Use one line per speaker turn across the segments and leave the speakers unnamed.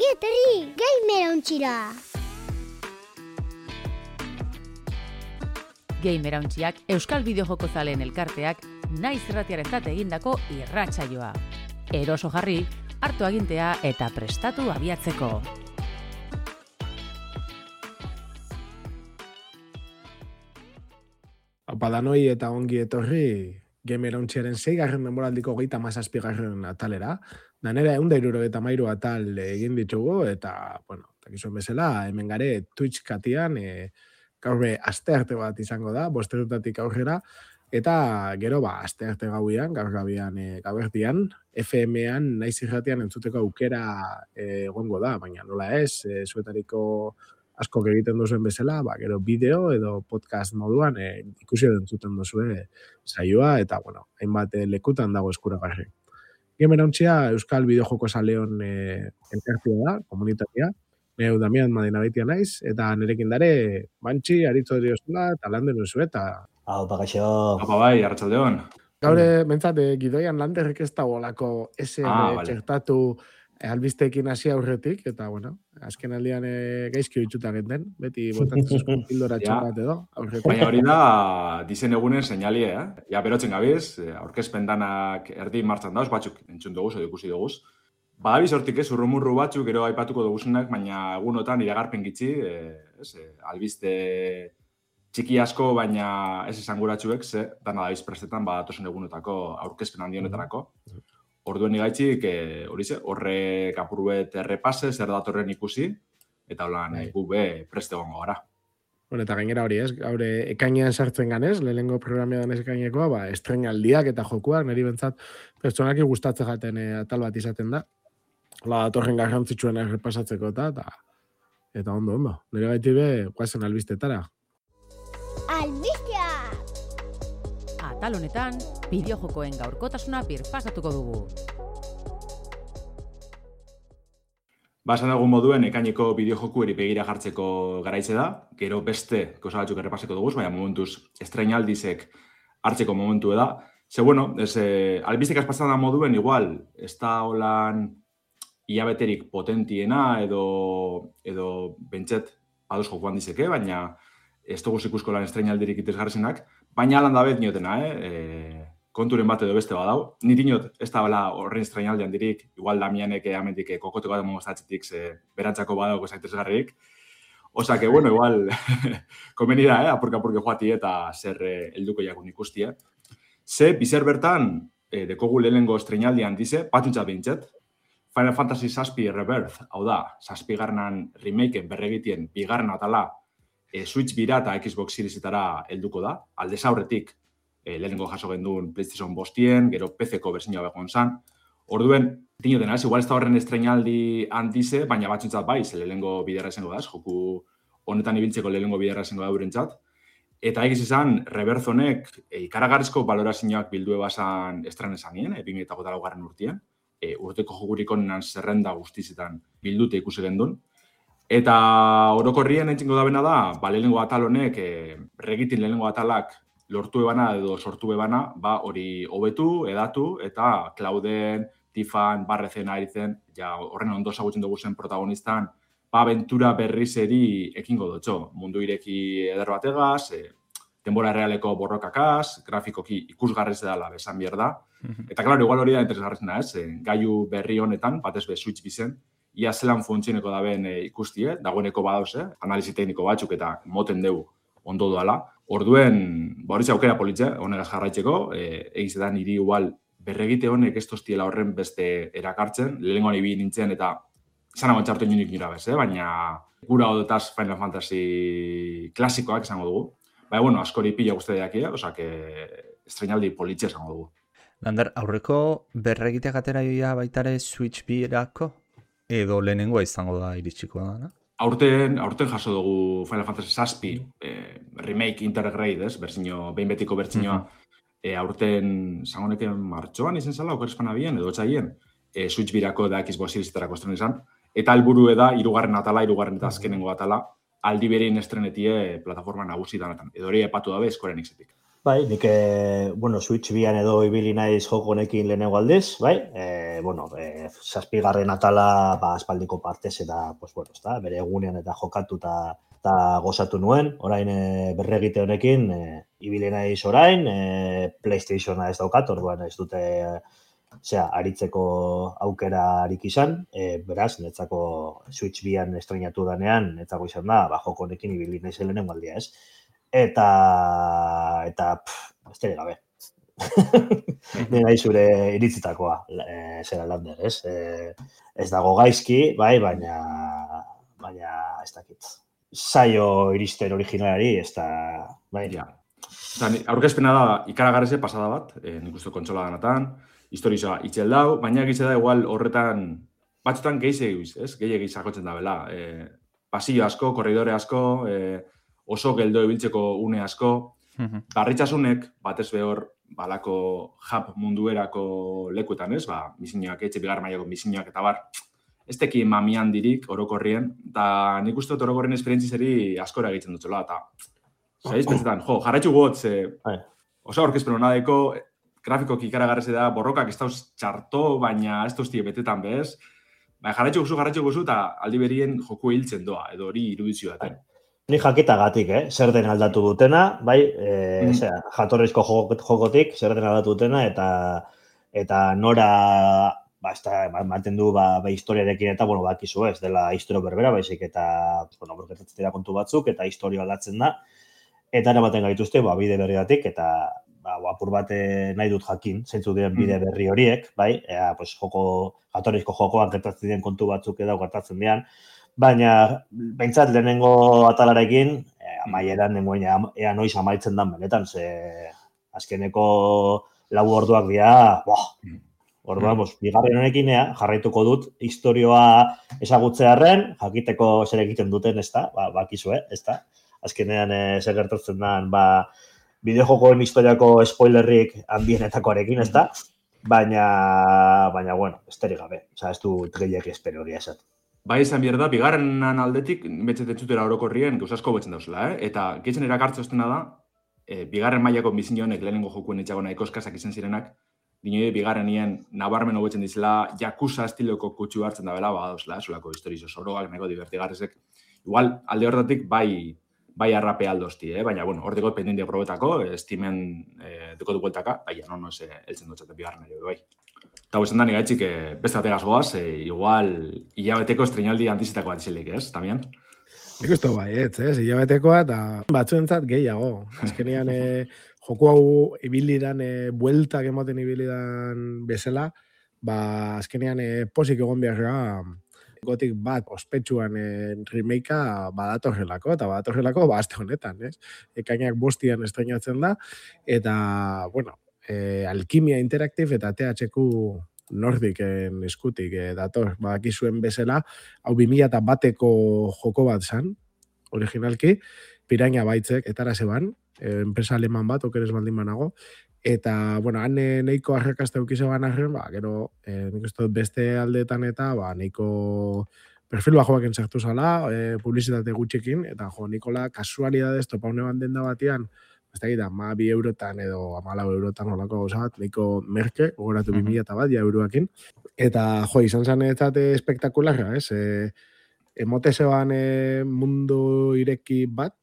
Ongi etorri, Gamerauntxira!
Gamerauntxiak Euskal Bideojoko zaleen elkarteak naiz irratiarentzat egindako irratsaioa. Eroso jarri, hartu agintea eta prestatu abiatzeko.
Apadanoi eta ongi etorri Gamerauntxiaren 6. denboraldiko 37. atalera. Danera 173 atal egin ditugu eta, takizuen bezala, hemen gare Twitch katian, gaurre astearte bat izango da, 5:00 aurrera, eta gero astearte gauian, gaur gabertian, FM-an, naiz irratian entzuteko aukera egongo da, baina nola ez, zuetariko askok egiten duzuen bezala, gero bideo edo podcast moduan ikusi edo entzuten duzue saioa, eta, hainbat lekutan dago eskuragarri. Gamerauntxia Euskal Bideojoko zaleon elkartea da, komunitatea, neu Damian Madinabeitia naiz, eta nerekin dare, Bantxi, Aritzo Diosula, eta landen duzu, eta...
Aupa, gaixo.
Aupa bai, arratsaldeon.
Gaure, bentsat, gidoian landerrek ez da bolako SN txertatu albisteekin hasi aurretik, eta, azken aldian gaizki oitzuta genten, beti botatzezko pildora txokat edo, aurretik.
Baina hori da, dizen egunen seinalie, Ja, berotzen gabiz, aurkezpen danak erdi martxan dauz, batzuk entzun duguz, edo ikusi duguz. Badabiz hortik ez, urrumurru batzuk, gero aipatuko duguzenak, baina egunotan iragarpen gitzi, albiste txiki asko, baina ez esanguratxuek, dana dabiz prestetan, badatozen egunotako aurkezpen handi honetarako. Orduen igaitzik, horrek apuruet errepase, zer datorren ikusi, eta holan gube preste gongo gara.
Eta gainera hori ez, gaur ekainean sartzen ganez, lehenengo programean ez ekainekoa, estrenaldiak eta jokuak, niri bentsat, pertsonaki gustatzen jaten atal bat izaten da. Datorren garrantzitsuen errepasatzeko eta ondo. Nire gaitibe, guazen albistetara.
Albistea!
Atal honetan, bideojokoen gaurkotasuna birpasatuko dugu.
Esan dugun moduen, ekaineko bideojokueri begira jartzeko garaitze da, gero beste kosa batzuk errepaseko dugu, baina momentuz estrenaldizek hartzeko momentu da. Albistek azpatzen da moduen, igual, ez da holan iabeterik potentiena edo bentset ados jokuan dizeke, baina ez dugu ikusko lan estrenaldirik itezgarrezenak, baina alan dabet niotena, konturen bat edo beste badau. Niri niot, ez da horren estrenaldian dirik, igual Damianek amendik kokoteko da mongostatzetik berantzako badauko zaitezgarrik. Osa que, igual, komeni da, apurka-apurke joati eta zer helduko jakun ikustia. Bizer bertan, dekogu lehenengo estrenaldian dize, batuntzat behintzet, Final Fantasy VII Rebirth, hau da, 7. remakeen berregitien bigarren atala Switch bira eta Xbox Seriesetara helduko da. Aldez aurretik lehenengo jaso genduen PlayStation 5, gero PC-ko berzinua begon zan. Orduen, dinoten, igual ez da horren estrenaldi handize, baina batzuntzat bai, lehenengo biderra esango da, joku honetan ibiltzeko lehenengo biderra esango da eurentzat. Eta egiz izan, Rebirth honek ikaragarrizko balorazioak bildu ebazan estren esanien, 2008 urtien. Urteko jokurik honenan zerrenda guztizetan bildute ikusi gendun. Eta orokorrien entzingo da bena da, lehenengo atal honek, regitin lehenengo atalak lortu ebana edo sortu ebana, hori hobetu, edatu, eta Clauden, Tifan, Barrezen, Arizen, horren ondo zagutzen dugu zen protagonistan, abentura berrizeri ekingo dutxo. Mundu ireki eder bategaz, denbora realeko borrokakaz, grafikoki ikusgarrez edala besan bier da. Eta, klaro, igual hori da interesgarrezena, gaiu berri honetan, batez be Switch bizen, ia zelan funtzioneko da ben ikustie, dagoeneko badauz, analizi tekniko batzuk eta moten dugu ondo doala. Orduen, hori aukera politze, honegaz jarraitzeko, egizetan niri igual berregite honek ez toztiela horren beste erakartzen, lehenengoan ibi nintzen eta izan hau txartu inonik nira bez, baina gura odotaz Final Fantasy klasikoak esango dugu. Askori pila guzti deakia, estrenaldi politxe esango dugu.
Lander, aurreko berregiteak ateraia baitare Switch birako? Edo lehenengoa izango da iritsiko da?
Aurten jaso dugu Final Fantasy VII remake intergrade, behin betiko bertzinoa, aurten zangoneken martxoan izen zala, okerespan abien, edo txaien, Switch birako da Xbox Seriesetarako estren izan, eta helburu da, 3. atala, 3. eta azkenengo atala, aldi berein estrenetie plataforma nagusi danetan. Edo hori epatu dabe Square Enixetik.
Bai, nik, Switch bian edo ibili naiz joko honekin lehenengo aldiz, bai? Zazpigarren atala, aspaldiko partez eta, ezta, bere egunean eta jokatu eta gozatu nuen. Orain berregite honekin, ibili naiz orain, PlayStationa ez daukat, orduan ez dute aritzeko aukerarik izan, beraz, netzako Switch bian estrenatu danean, netzako izan da, joko honekin ibili naiz lehenengo aldia, ez? Eta besterik gabe. Nena zure iritzitakoa, zera Lander, ez? Ez dago gaizki, bai, baina ez dakit. Zaio iristen originalari, ez da, bai.
Ja. Aurkezpena da ikaragarreze pasada bat, nik uste kontsola ganatan, historizoa itxel dau, baina egitze da igual horretan, batzutan gehiagiz sakotzen da bela. Pasillo asko, korridore asko, oso geldo ibiltzeko une asko, barritxasunek, batez behor, balako hub munduerako lekuetan, ez? Misiñoak, bigarren mailako misiñoak eta bar, ez teki mamian dirik orokorrien, eta nik uste dut orokorrien esperientzizeri askora egiten dutxola, eta zaizpetzetan, jarraitxu gotz, oso aurkezpen honadeko, grafikoki ikaragarreze da, borrokak ez dauz txarto, baina ez duzti betetan bez, jarraitxu guzu, eta aldi berien joku hiltzen doa, edo hori irudizio daten.
Ni jakitagatik, zer den aldatu dutena, bai, jatorrizko jokotik, zer den aldatu dutena, eta nora, ematen du, historiarekin eta, bakizu ez, dela historio berbera, baizik, eta, borketatzen dira kontu batzuk, eta historio aldatzen da, eta eramaten gaituzte, bide berriatik, eta, apur bat nahi dut jakin, zeintzu diren bide berri horiek, bai, jatorrizko jokoak gertatzen diren kontu batzuk edo gertatzen diren, baina, behintzat, lehenengo atalarekin, amaieran nengoen ea noiz amaitzen dan benetan, ze azkeneko 4 orduak dira, orduan, bigarren honekin jarraituko dut historioa ezagutzearren, jakiteko zer egiten duten, ez da, bakizu, ez da, azkenean zer gertatzen dan, bideojokoen historiako spoilerrik handienetakoarekin, ez da, baina, besterik gabe, ez du gehiak espero hori esat.
Bai izan behar da, bigarrenan aldetik, betxetet zutera orokorrien, gauzasko betzen dauzela, eta gehiatzen erakartzoztena da, bigarren mailako bizinonek lehenengo jokuen etxago nahiko eskasak izan zirenak, dinoi bigarrenien nabarmen hobetzen dizela, Yakuza estiloko kutsu hartzen da bela, dauzela, zulako historizo soroak, nahiko divertigarrezek. Igual, alde horretatik, bai arrape aldozti, baina, horteko pendiente probetako, Steamen deko du bueltaka, baina, no eltzen dutxaten bigarren ere, bai. Eta izan da, nigaitzik, beste bategaz goaz, igual, hilabeteko estrenaldi antizitako bat izilik, ez, tamien?
Nik uste bai, hilabetekoa eta batzuentzat gehiago. Azkenean, joku hau ibilidan, bueltak ematen ibilidan bezala, azkenean posik egon beharra, gotik bat ospetsuan remakea badatorrelako, eta badatorrelako azte honetan, ez? Ekainak 5 estrenatzen da, eta, Alkimia Interactive eta THQ Nordicen eskutik dator, badakizuen bezala, hau 2001eko joko bat zan, originalki, Piranha Bytes etara zeban, enpresa aleman bat, okeres baldin banago, eta, han nahiko arrakazta eukize ban arren, gero, nik uste beste aldeetan eta, nahiko perfil bajoak entzartu zala, publizitate gutxekin, eta Nikola, kasualidadez, topa une ban denda batian, ez da gita, 2 eurotan edo 14 eurotan olako gauza bat, nahiko merke, ogoratu 2000 bat, euroakin. Eta, izan zen espektakularra, ez? Emote zeban mundu ireki bat,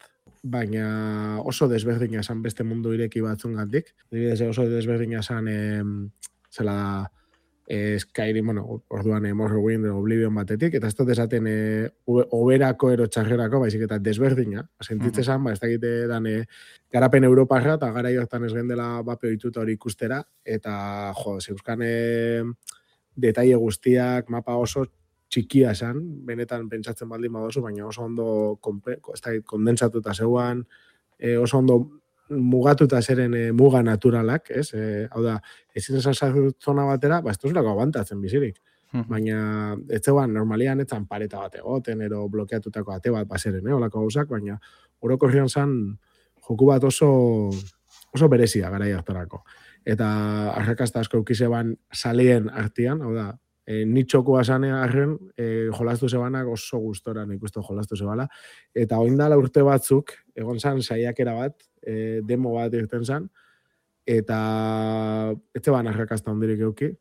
baina oso desberdina esan beste mundu ireki batzun gandik. Oso desberdina esan, zela Skyrim, orduan Morrowind, Oblivion batetik, eta ez dut esaten oberako ero txarrerako, baizik eta desberdina. Sentitze zan, ez dakite dan garapen Europarra, eta gara jortan ez gendela bapeo dituta hori ikustera, eta zeuzkan detaile guztiak, mapa oso txikia esan, benetan pentsatzen baldin badozu, baina oso ondo kondentsatuta zeuan, oso ondo mugatuta zeren muga naturalak, ez? Hau da, ezin esan zona batera, ez duzulako abantatzen bizirik. Baina, ez zeuan, normalian etzan pareta bat egoten, ero blokeatutako ate bat baseren, olako gauzak, baina orokorrian zan joku bat oso berezia garai hartarako. Eta arrakasta asko eukizeban salien artian, hau da, nitxokoa zane arren, jolastu zebanak oso gustora nik uste jolastu zebala. Eta oindala urte batzuk, egon zan saiakera bat, demo bat irten zan, eta ez zeban arrakazta hondirik euki.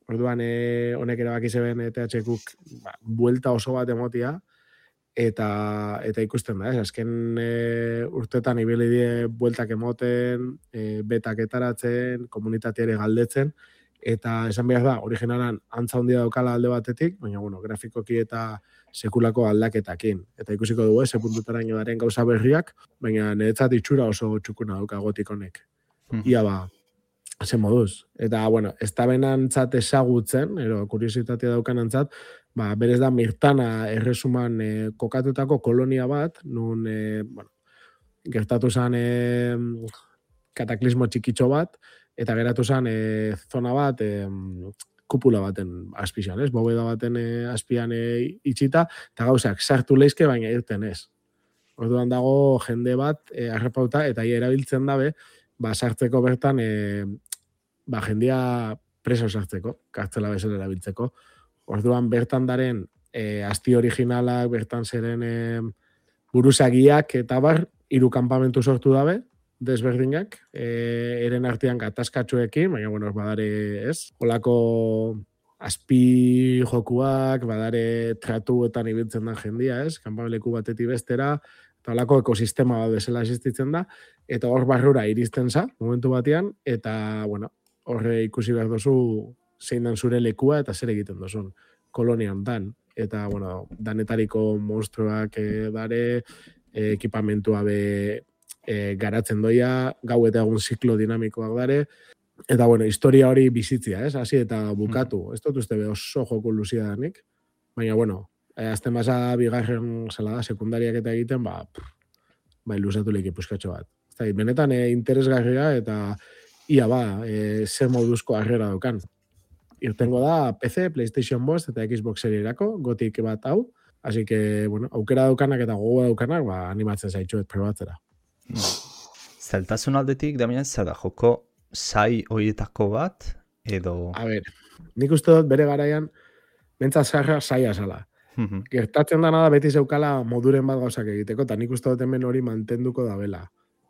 Orduan, honek erabaki zeben THQk buelta oso bat emotia, eta ikusten da, azken urtetan ibili die bueltak emoten, betak etaratzen, komunitateare galdetzen, eta esan behar da, originalan antza handia daukala alde batetik, baina, bueno, grafikoki eta sekulako aldaketakin. Eta ikusiko dugu, ze puntutaraino daren gauza berriak, baina niretzat itxura oso txukuna dauka gotik honek. Ia ba, zen moduz. Eta, bueno, ez da benantzat ezagutzen, kuriositatea daukanantzat, berez da Mirtana erresuman kokatutako kolonia bat, nun, gertatu zen kataklismo txikitxo bat, eta geratu zen zona bat, kupula baten azpian, ez? Bobeda baten azpian itxita, eta gauzak sartu leizke, baina irten ez. Orduan dago jende bat arrapauta, eta erabiltzen dabe, sartzeko bertan, jendia preso sartzeko, kartzela bezala erabiltzeko. Orduan bertan daren asti originalak, bertan zeren buruzagiak eta bar, 3 kanpamentu sortu dabe, desberdinak, eren artean gatazkatxoekin, baina, bueno, badare ez, olako azpi jokuak, badare tratuetan ibiltzen da jendia, ez, kanpameleku batetik bestera, eta olako ekosistema bat bezala existitzen da, eta hor barrura iristen za, momentu batean, eta, bueno, horre ikusi behar dozu zein dan zure lekua eta zer egiten dozun kolonian dan. Eta, bueno, danetariko monstruak dare, ekipamentua be garatzen doia, gau eta egun ziklo dinamikoak dare, eta, bueno, historia hori bizitzia, ez? Hasi eta bukatu. Ez dut uste be oso joko luzia danik, baina, bueno, azten basa bigarren zela da, sekundariak eta egiten, iluzatu lehik ipuzkatxo bat. Benetan interesgarria eta ia zer moduzko harrera daukan. Irtengo da PC, PlayStation 5 eta Xbox Serierako, gotik bat hau, así que, bueno, aukera daukanak eta gogoa daukanak, animatzen zaitxuet probatzera.
Zailtasun aldetik, Damian, zer da, joko zai horietako bat, edo...
A ber, nik uste dut bere garaian, bentsat zarra zaila zala. Gertatzen dana da beti zeukala moduren bat gauzak egiteko, eta nik uste dut hemen hori mantenduko da bela.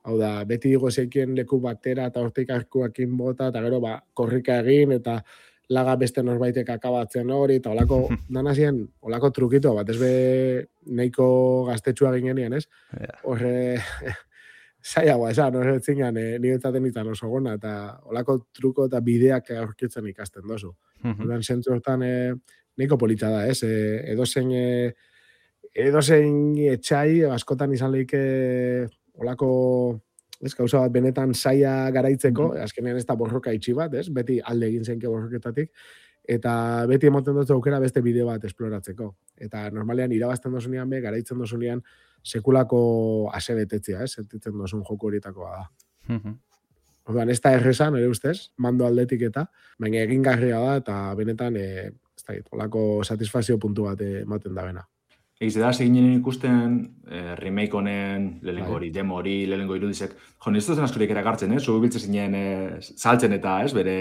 Hau da, beti digo zekien leku batera eta hortik arkuakin bota, eta gero korrika egin, eta laga beste norbaitek akabatzen hori, eta olako, danazien, olako trukito bat, ez be nahiko gaztetxua ginean, ez? Horre, zaiagoa, esan, horre zinen, niretzaten izan oso gona, eta olako truko eta bideak aurkitzen ikasten dozu. Horren zentzu hortan, nahiko polita da, ez? Edozein etxai, askotan izan lehike olako, ez, gauza bat benetan zaila garaitzeko, azkenean ez da borroka itxi bat, ez? Beti alde egin zenke borroketatik, eta beti emoten dut aukera beste bide bat esploratzeko. Eta normalean irabazten dozunean be, garaitzen dozunean sekulako asebetetzia, ez? Sentitzen dozun joko horietakoa da. Orduan, ez da errezan, ere ustez, mando aldetik eta, baina egingarria da, eta benetan, ez da, olako satisfazio puntu bat ematen da bena.
Egiz da, seginen ikusten remake honen, lehenengo hori, demo hori, lehenengo irudizek. Jo, ez duzen askorik erakartzen, zu biltzen zinen saltzen eta, bere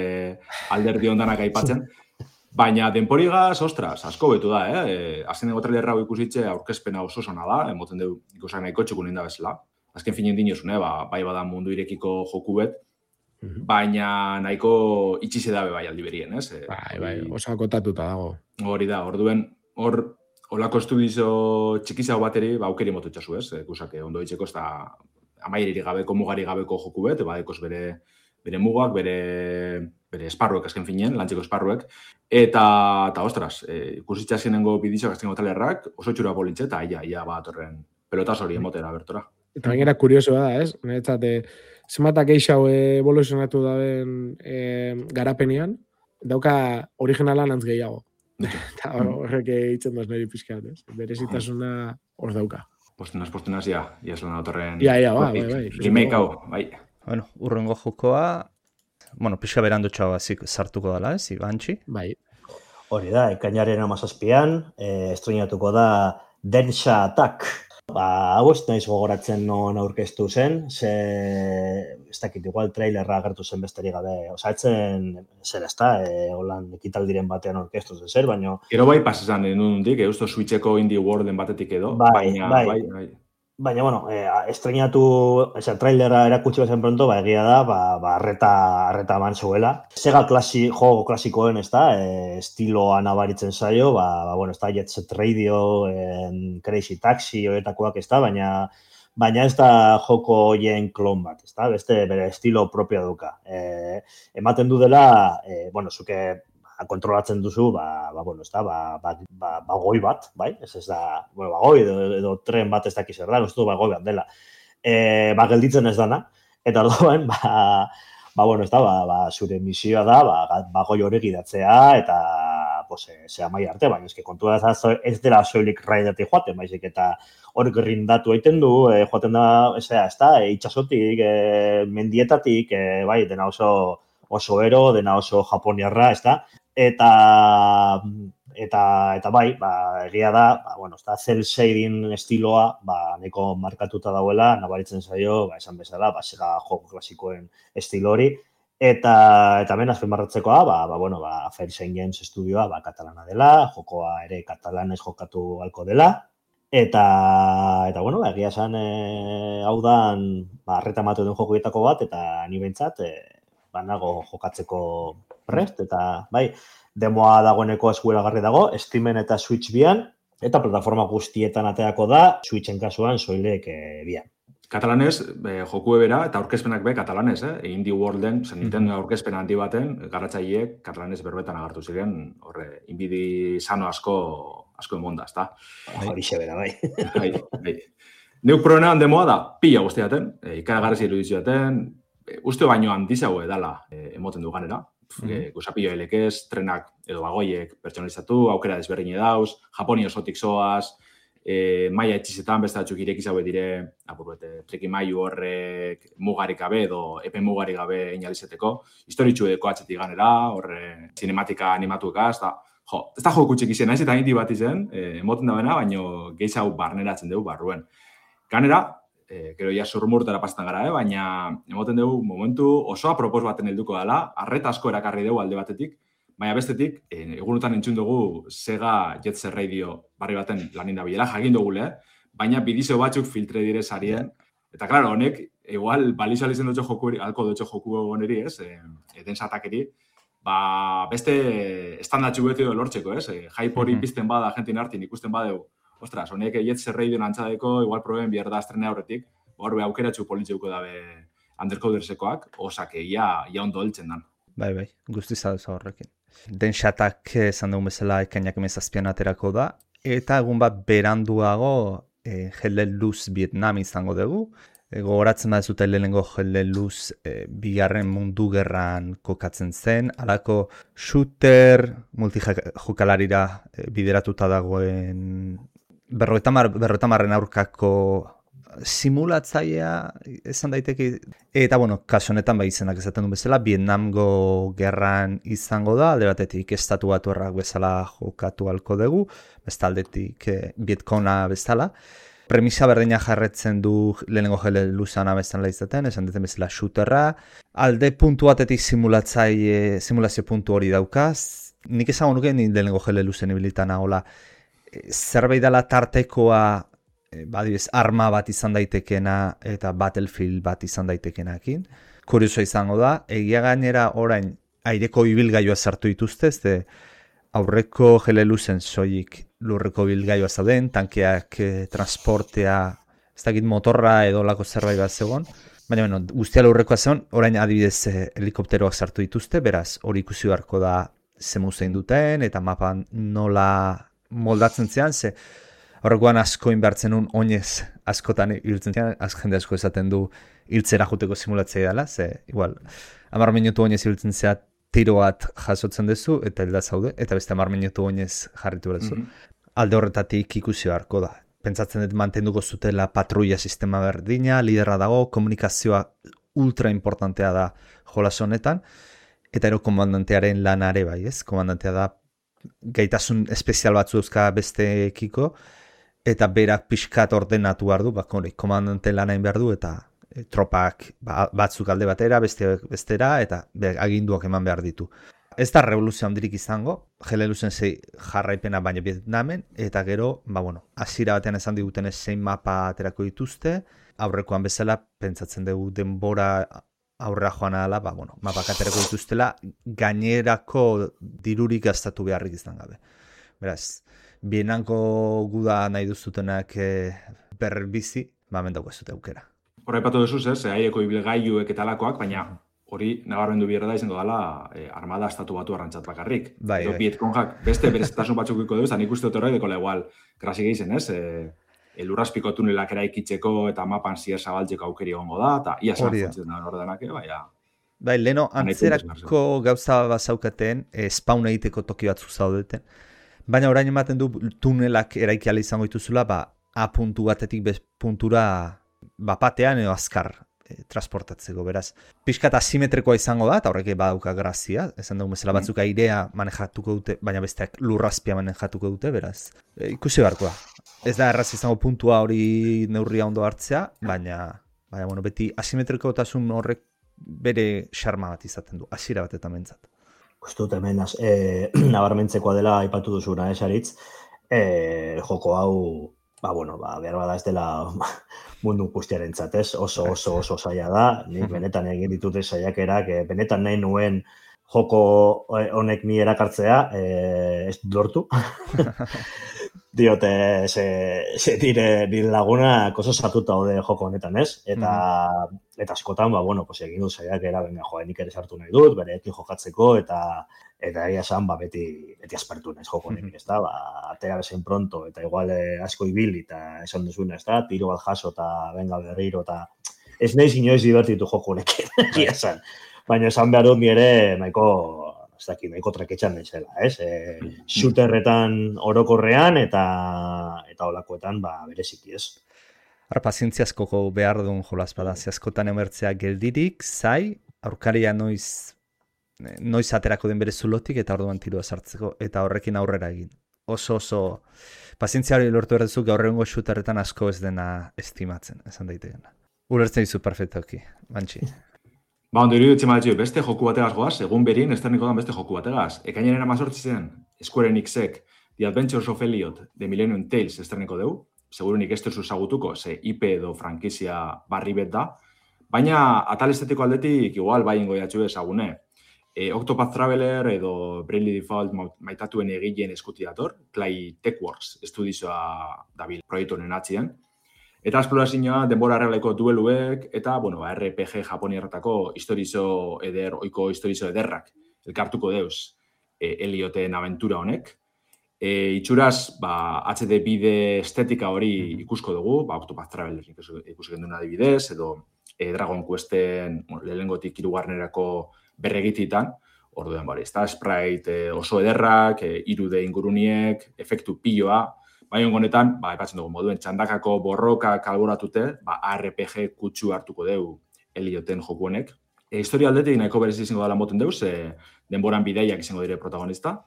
alderdi ondanak aipatzen. Baina denporigaz, ostras, asko betu da, azkenengo trailerra ikusitze aurkezpena oso sona da, emoten du ikusak nahiko txukun inda bezala. Azken finen dinozun, bai bada mundu irekiko joku bet, baina nahiko itxize dabe bai aldi berien, ez?
Bai, oso akotatuta dago.
Hori da, orduen, Olako estudizo txikizago bateri, aukeri motu txasu, ez? Kusake, ondo ditzeko, ez da amairirik gabeko, mugari gabeko joku bet, dekoz bere mugak, bere esparruek azken finen, lantzeko esparruek. Eta ostras, ikusitza zenengo bidizioak azkengo talerrak, oso txura polintxe, eta ia bat horren pelotaz hori emotera bertora. Eta
gainera kuriosoa da, ez? Neretzat, zenbatak eixau evoluzionatu daben garapenean, dauka originalan antz gehiago. Eta horrek eitzen doz niri pixkat, ez? Berezitasuna hor dauka.
Postenaz, ja eslan autorren...
bai.
Remake hau, bai.
Bueno, urrengo jokoa, pixka berandutxoa bazik sartuko dela, ez? Ibantxi?
Bai.
Hori da, ekainaren 17an, estrenatuko da Densha Attack. Hau ez naiz gogoratzen non aurkeztu zen, ez dakit, igual trailerra agertu zen besterik gabe, etzen zer ezta, holan ekitaldiren batean aurkeztu zen zer, baina...
Gero bai pasesan denundik, eusto Switcheko Indie Worlden batetik edo,
bai. Baina, bueno, estrenatu, trailera erakutsi bezen pronto, egia da, arreta eman zuela. Sega jogo klasikoen, ez da, estiloa nabaritzen zaio, bueno, ez da, Jet Set Radio, Crazy Taxi, horretakoak, ez da, baina ez da joko hoien klon bat, ez da, beste bere estilo propio duka. Ematen du dela, bueno, zuke kontrolatzen duzu, bueno, ez da, bagoi bat, bai? Ez da, bueno, bagoi edo tren bat ez dakiz erda, ez du bagoi bat dela. Gelditzen ez dana, eta orduan, bueno, ez da, zure misioa da, bagoi hori gidatzea, eta, zea mai arte, baina eske kontua ez dela soilik raidati joaten, baizik, eta hori grindatu egiten du, joaten da, ez da, itxasotik, mendietatik, bai, dena oso ero, dena oso japoniarra, ez da, eta bai, egia da, bueno, ez da, cel shading estiloa, neko markatuta dauela, nabaritzen zaio, esan bezala, Sega joko klasikoen estilo hori, eta hemen azpimarratzekoa, bueno, Fairsign Games estudioa, katalana dela, jokoa ere katalanez jokatu halko dela, eta bueno, egia esan, hau da, arreta ematu den jokoetako bat, eta ni behintzat, nago jokatzeko prest, eta bai, demoa dagoeneko eskuragarri dago, Steamen eta Switch bian, eta plataforma guztietan ateako da, Switchen kasuan soilek bian.
Katalanez, joku ebera eta aurkezpenak be katalanez, Indie Worlden, Nintendo aurkezpen handi baten, garatzaileek katalanez berbetan agartu ziren, horre, inbidi sano asko emonda, ezta?
Horixe bera, bai.
Bai. Neuk probenean demoa da, pila guztiaten, ikaragarri iruditzuaten, uste baino handizago edala emoten du ganera. Gusapillo elekez, trenak edo bagoiek pertsonalizatu, aukera desberdine dauz, Japoni osotik zoaz, maia etxizetan beste batzuk irekizaue dire, treki maiu horrek mugarik gabe edo epe mugarik gabe inalizeteko, historitxu edeko atzetik ganera, horre cinematika animatuekaz, ez da joku txik izan, ez eta indi bat izen, emoten da bena, baino gehiago barneratzen dugu barruen. Ganera, gero ja surmurtara pasetan gara, baina emoten dugu momentu oso apropos baten helduko dela, arreta asko erakarri dugu alde batetik, baina bestetik, egunotan entzun dugu Sega Jet Set Radio barri baten lanin da bilela, jakin dugule, baina bidizio batzuk filtre dire sarien, eta klaro, honek, igual, balizo alizen dutxo joku, alko dutxo joku oneri, ez, eden satakeri, beste estandatxu beti lortzeko, ez, hype hori pizten bada, jentin hartin ikusten badeu, ostras, honek Jet Set Radio nantzadeko, igual proben bierda estrena horretik, horbe aukeratxu politzeuko dabe undercodersekoak, osake, ia ondo heltzen dan.
Bai, guzti zaduza horrekin. Den xatak esan dugun bezala ekainak emezazpian aterako da, eta egun bat beranduago Hell Let Loose Vietnam izango dugu. Gogoratzen da zute lehenengo Hell Let Loose bigarren mundu gerran kokatzen zen, alako shooter multijokalarira bideratuta dagoen berroetamarren aurkako simulatzailea esan daiteke, eta bueno, kasu honetan izenak esaten du bezala, Vietnamgo gerran izango da, alde batetik estatu batuarrak bezala jokatu halko dugu, bestaldetik Vietkona bezala. Premisa berdina jarretzen du lehenengo Hell Let Loosea bezala izaten, esan duten bezala shooterra, alde puntu batetik simulazio puntu hori daukaz, nik esango nuke ni lehenengo Hell Let Looseen ibilitan hola, zerbait dela tartekoa, arma bat izan daitekena eta Battlefield bat izan daitekenakin. Kurioso izango da, egia gainera orain aireko ibilgailua sartu dituzte, ez aurreko Hell Let Looseen soilik lurreko ibilgailua zauden, tankeak transportea, ez dakit motorra edo lako zerbait bat zegoen, baina bueno, guztia lurrekoa zegoen, orain adibidez helikopteroak sartu dituzte, beraz hori ikusi beharko da zemuzein duten, eta mapan nola moldatzen zean, ze horrekoan asko inbertzen un oinez askotan hiltzen zean, jende asko esaten du hiltzera juteko simulatzea dela, ze igual 10 minutu oinez hiltzen zea tiro bat jasotzen duzu, eta hilda zaude, eta beste 10 minutu oinez jarritu berezu. Alde horretatik ikusi beharko da. Pentsatzen dut mantenduko zutela patrulla sistema berdina, liderra dago, komunikazioa ultra importantea da jolas honetan, eta ero komandantearen lanare bai, ez? Komandantea da gaitasun espezial batzu euska besteekiko, eta berak pixkat ordenatu behar du, komandante lanain behar du, eta tropak batzuk alde batera, bestera, eta aginduak eman behar ditu. Ez da revoluzio handirik izango, Helelusen 6 jarraipena baina Vietnamen, eta gero, hasiera batean esan digutenez 6 mapa aterako dituzte, aurrekoan bezala, pentsatzen dugu denbora aurrera joan ala, mapak aterako dituztela, gainerako dirurik gastatu beharrik izan gabe. Beraz, bienanko guda nahi duzutenak berbizi, mendauko ez dute aukera.
Horra ipatu duzuz, aireko ibilgailuek eta alakoak, baina hori nabarmendu bierda da izango dela armada estatu batu arrantzat bakarrik. Bai. Vietconjak beste berezitasun batzuk iko dugu, nik uste dut horre dekola igual grasik egin, lurrazpiko tunelak eraikitzeko eta mapan zier zabaltzeko aukeri egongo da, eta ia zartzen da ordenak,
Bai, leno, antzerako gauza bazaukaten, spawn egiteko toki batzuk zaudeten, baina orain ematen du tunelak eraikiala izango dituzula, A puntu batetik B puntura bapatean edo azkar transportatzeko, beraz. Pixkat asimetrikoa izango da, eta horrek badauka grazia, esan dugu bezala batzuk airea manejatuko dute, baina besteak lurrazpia manejatuko dute, beraz. Ikusi beharko da. Ez da erraz izango puntua hori neurria ondo hartzea, baina beti asimetrikotasun horrek bere xarma bat izaten du, hasiera batetan mentzat.
Gustut hemen nabarmentzekoa dela aipatu duzuna, Saritz, joko hau, behar bada ez dela mundu guztiaren zatez, oso zaila da, nik benetan egin ditute saiakerak, benetan nahi nuen joko honek ni erakartzea, ez lortu. Diote, nire laguna oso sartuta hode joko honetan, ez? Eta askotan, egin dut saiakera, nik ere sartu nahi dut, bereekin jokatzeko, eta egia esan, beti aspertu naiz joko honekin, ez da? Atera bezain pronto, eta igual asko ibili, eta esan duzuna, ez da? Tiro bat jaso, eta benga berriro, eta ez nahi inoiz divertitu joko honekin, egia esan. Baina esan behar dut nire nahiko traketxan naizela, ez? Shooterretan orokorrean, eta holakoetan, bereziki, ez?
Pazientziazkoko behar duen jolaz bada, askotan emertzea geldirik, zai, aurkaria noiz aterako den bere zulotik eta orduan tiroa sartzeko eta horrekin aurrera egin. Oso pazientzia hori lortu erdezu gaur egungo shooterretan asko ez dena estimatzen, esan daitekena. Ulertzen dizu perfektoki, Bantxi.
Ondo iruditzen bat beste joku bategaz goaz, egun berien esterniko dan beste joku bategaz. Ekainaren 18 Square Enixek The Adventures of Elliot The Millennium Tales esterniko dugu. Segurunik ez duzu zagutuko, ze IP edo frankizia barri bet da. Baina atal estetiko aldetik igual ingo jatxu ezagune. Octopath Traveler edo Bravely Default maitatuen egileen eskuti dator, Clay Techworks estudizioa dabil proiektu honen atzien. Eta esplorazioa denbora arregleko dueluek eta, RPG japoniarretako oiko historizo ederrak elkartuko deuz Ellioten aventura honek. Itxuraz, HD bide estetika hori ikusko dugu, Octopath Traveler ikusi genduen adibidez, edo Dragon Questen lehengotik hirugarrenerako berregititan, orduen sprite oso ederrak, 3D inguruniek, efektu piloa, baina honetan, epatzen dugu moduen txandakako borroka kalboratute, RPG kutsu hartuko dugu Ellioten joku honek. Historia aldetik nahiko berezi izango dela moten deuz, denboran bideiak izango dire protagonista,